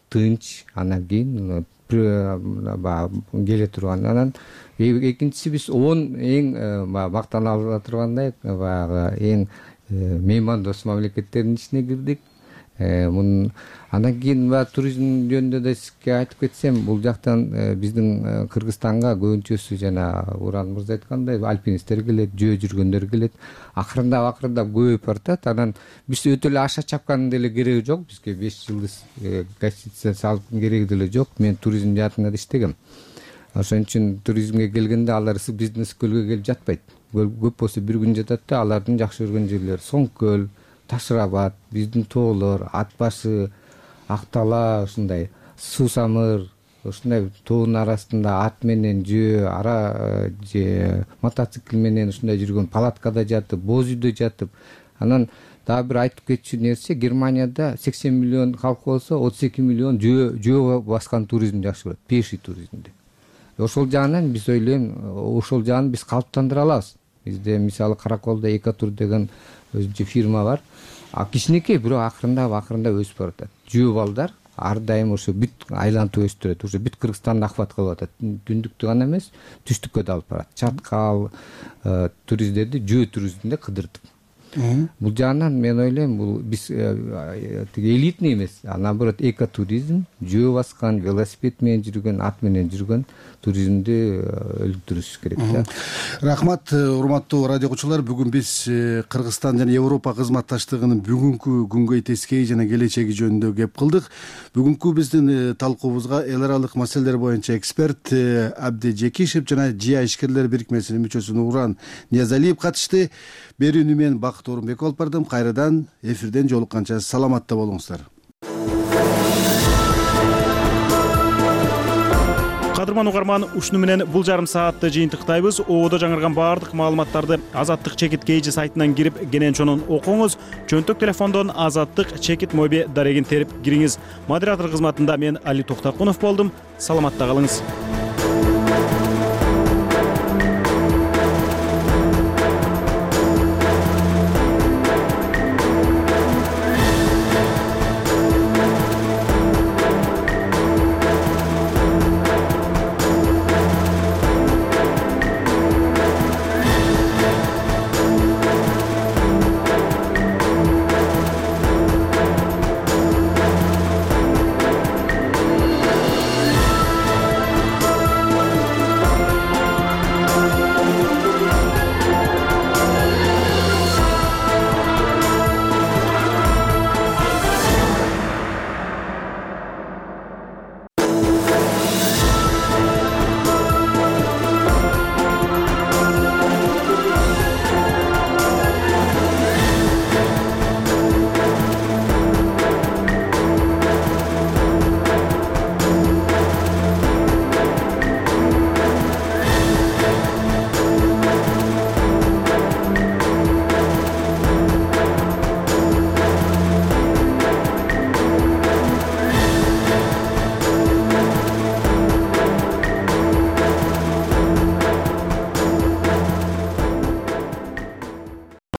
тынч, анан кийин келе турган. Анан экинчиси биз он эң мактана ала тургандай баягы эң меймандос мамлекеттердин ичине кирдик. Андан кийин туризм жөнүндө да сизге айтып кетсем, бул жактан биздин Кыргызстанга көбүнчөсү жана Уран мырза айткандай альпинисттер келет, жөө жүргөндөр келет. Акырындап акырындап көбөйүп баратат. Анан биз өтө эле аша чапкандын деле кереги жок. Бизге беш жылдыз гостиница салып кереги деле жок. Мен туризм жаатында да иштегем. Ошон үчүн туризмге келгенде алар бизнес көлгө келип жатпайт. Көп болсо бир күн жатат да, алардын жакшы көргөн жерлери Соңкөл, Ташырабад, биздин тоолор, Ат башы, Актала, ушундай Суусамыр, ушундай тоонун арасында ат менен жөө, ара же мотоцикл менен ушундай жүргөн, палаткада жатып, боз үйдө жатып. Анан дагы бир айтып кетчү нерсе, Германияда сексен миллион калк болсо, отуз эки миллион жөө жөө баскан туризмди жакшы көрөт, пеший туризмди. Ошол жагынан биз ойлойм, ошол жагын биз калыптандыра алабыз. Бизде мисалы Караколдо Экотур деген өзүнчө фирма бар. А кичинекей, бирок акырындап акырындап өсүп баратат. Жөө балдар ар дайым ошо бүт айлантып өстүрөт. Уже бүт Кыргызстанды охват кылып атат. Түндүктү гана эмес, түштүккө да алып барат. Чаткал туристтерди жөө туризминде кыдыртып. Бул жагынан мен ойлойм, бул биз элитный эмес, а наоборот экотуризм, жөө баскан, велосипед менен жүргөн, ат менен жүргөн туризмди өлүктүрүш керек да. Рахмат, урматтуу радио угуучулар. Бүгүн биз Кыргызстан жана Европа кызматташтыгынын бүгүнкү күнгөй тескейи жана келечеги жөнүндө кеп кылдык. Бүгүнкү биздин талкуубузга эл аралык маселелер боюнча эксперт Абди Жекишев жана ЖИА ишкерлер бирикмесинин мүчөсү Нуран Ниязалиев катышты. Берүүнү мен Бакыт Орунбек алып бардым. Кайрадан эфирден жолукканча саламатта болуңуздар. Кадырман угарман, ушуну менен бул жарым саатты жыйынтыктайбыз. Ободо жаңырган баардык маалыматтарды Азаттык Чекит Кейжи сайтынан кирип, кенен-чонун окуңуз. Чөнтөк телефондон Азаттык Чекит моби дарегин терип кириңиз. Модератор кызматында мен Али Токтакунов болдум. Саламатта калыңыз.